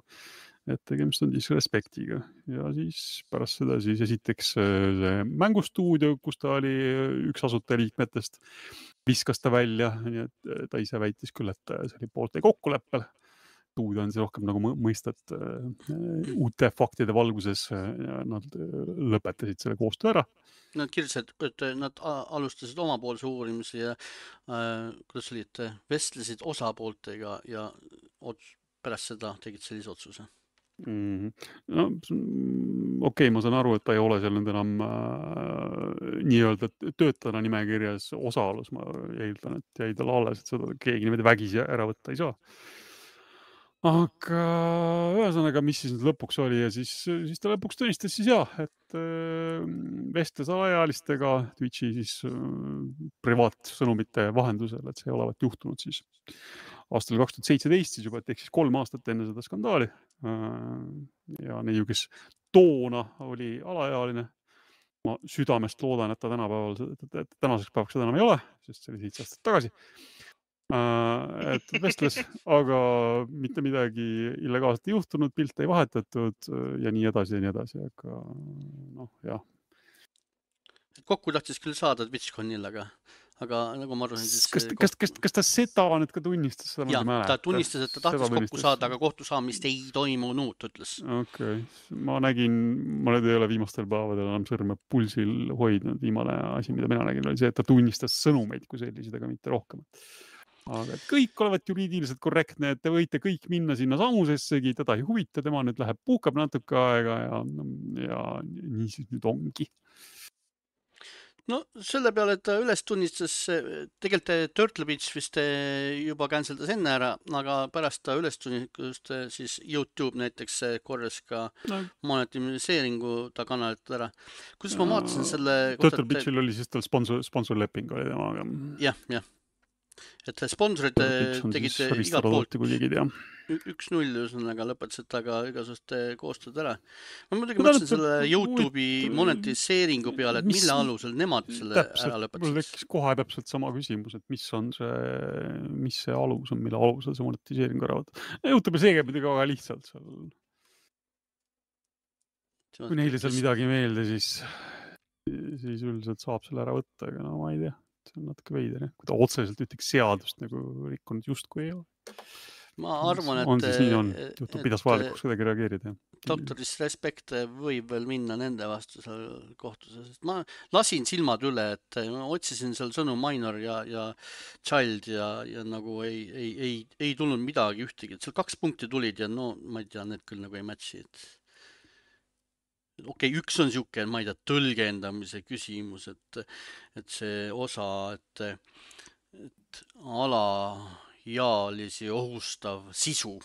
et tegemist on Disrespectiga. Ja siis pärast seda siis esiteks see mängustuudio, kus ta oli üks asutajaliikmetest, viskas ta välja, nii et ta ise väitis küll, et see oli poolte kokkuleppel. Stuudio on see rohkem nagu mõistat uute faktide valguses, nad lõpetasid selle koostöö ära. Nad kirjutasid, et nad alustasid omapoolse uurimise ja äh, kuidas oli, et vestlesid osapooltega ja ots, pärast seda tegid sellise otsuse. Mm-hmm. No, okei, okay, ma saan aru, et ta ei ole seal nüüd enam äh, nii-öelda töötajana nimekirjas osaalus, ma eeldan, et jäi tal alles, et seda keegi niimoodi vägisi ära võtta ei saa. Aga ühesõnaga, mis siis nüüd lõpuks oli ja siis, siis ta lõpuks tunnistas siis jah, et äh, vestles alaealistega Twitchi siis äh, privaatsõnumite vahendusel, et see ei olevat juhtunud siis aastal kaks tuhat seitseteist siis juba, et ehk siis kolm aastat enne seda skandaali äh, ja neiu, kes toona oli alaealine. Ma südamest loodan, et ta tänapäeval, tänaseks päevaks seda enam ei ole, sest see oli seitse aastat tagasi. Uh, et vestles, aga mitte midagi illegaalselt ei juhtunud, pilte ei vahetatud ja nii edasi ja nii edasi, aga noh, jah. Kokku tahtis küll saada TwitchConil, aga, aga nagu ma arvan, siis... Kas, kas, kas, kas ta seda nüüd ka tunnistas? Seda ja, ta tunnistas, et ta tahtis kokku tunnistas. saada, aga kohtu saamist ei toimunud, ütles. Okei. Okay. Ma nägin, ma nüüd ei ole viimastel päevadel enam sõrme pulsil hoidnud. Viimane asi, mida mina nägin, oli see, et ta tunnistas sõnumeid kui sellised, aga mitte rohkem. Aga et kõik olevat juriidiliselt korrektne, et te võite kõik minna sinna samusessegi, teda ei huvita, tema nüüd läheb puhkab natuke aega ja, ja nii siis nüüd ongi. No selle peale, et ta üles tunnistas, tegelikult Turtle Beach vist juba canceldas enne ära, aga pärast ta üles tunnistas siis YouTube näiteks korras ka no. monetimiseeringu ta kanalilt ära. Kuidas ma vaatasin selle... Turtle Beachil oli siis tal sponsor, sponsorleping oli temaga. Jah, jah. Et sponsorid tegid igat poolt üks null üsnaga lõpetasid taga igasugust koostööd ära. Ma muidugi mõtlesin selle YouTube'i monetiseeringu peale, et mis, mille alusel nemad selle täpselt, ära lõpetasid. Mul tekkis kohe täpselt sama küsimus, et mis on see, mis see alus on, mille alusel see monetiseering ära võtta. YouTube'i see käib muidugi väga lihtsalt seal. Kui neile seal midagi meelde, siis, siis üldiselt saab selle ära võtta, aga no ma ei tea. See on natuke veider, kui ta otseselt ütleks seadust nagu rikkunud justkui ei ole. Ma arvan, et... On siis nii on, juhtu pidas vajalikuks kuidagi reageerida. Doktoris Respect võib veel minna nende vastu seal kohtuses. Ma lasin silmad üle, et ma otsisin seal sõnu minor ja, ja child ja, ja nagu ei, ei, ei, ei tulnud midagi ühtegi. Seal kaks punkti tulid ja no ma ei tea, need küll nagu ei matchi, et... Okei, okay, üks on siuke, ma ei tea, tõlgendamise küsimus, et, et see osa, et, et alaealisi ohustav sisu.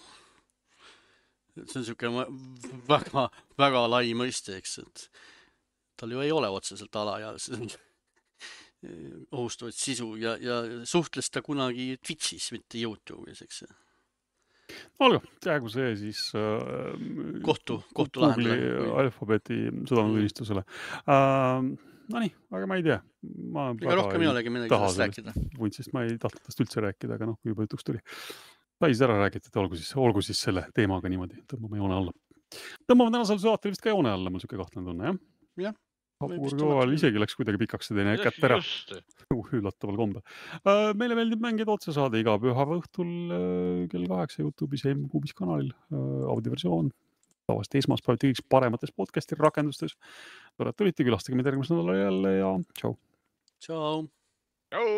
See on siuke väga, väga lai mõiste, eks, et tal ju ei ole otseselt alaealisi ohustavaid sisu ja, ja suhtles ta kunagi Twitchis, mitte YouTube'is, eks. Olga, jäägu see siis äh, kohtu, kohtu lahendada. Alfabeti sõdanutunnistusele. Äh, no nii, aga ma ei tea. Ma ega rohkem ei olegi midagi sellest rääkida. Vuntsist ma ei tahtnud tast üldse rääkida, aga noh, kui juba jutuks tuli. Päis ära räägiti, et olgu siis, olgu siis selle teemaga niimoodi, tõmbame joone alla. Tõmbame tänasel saatel vist ka joone alla, mul siuke kahtlane tunne, jah? Jah. Hapurkoval isegi läks kuidagi pikaks see teine kätt ära. Üllataval kombe. Meile meeldib mängida otsesaade iga pühava õhtul kell kaheksa YouTube'is ja M-Kuubis kanalil. Audioversioon. Tavast esmaspäevati kõiks paremates podcasti rakendustes. Tore, et tulite, külastage meid järgmisel nädalal jälle ja tšau. Tšau. Tšau.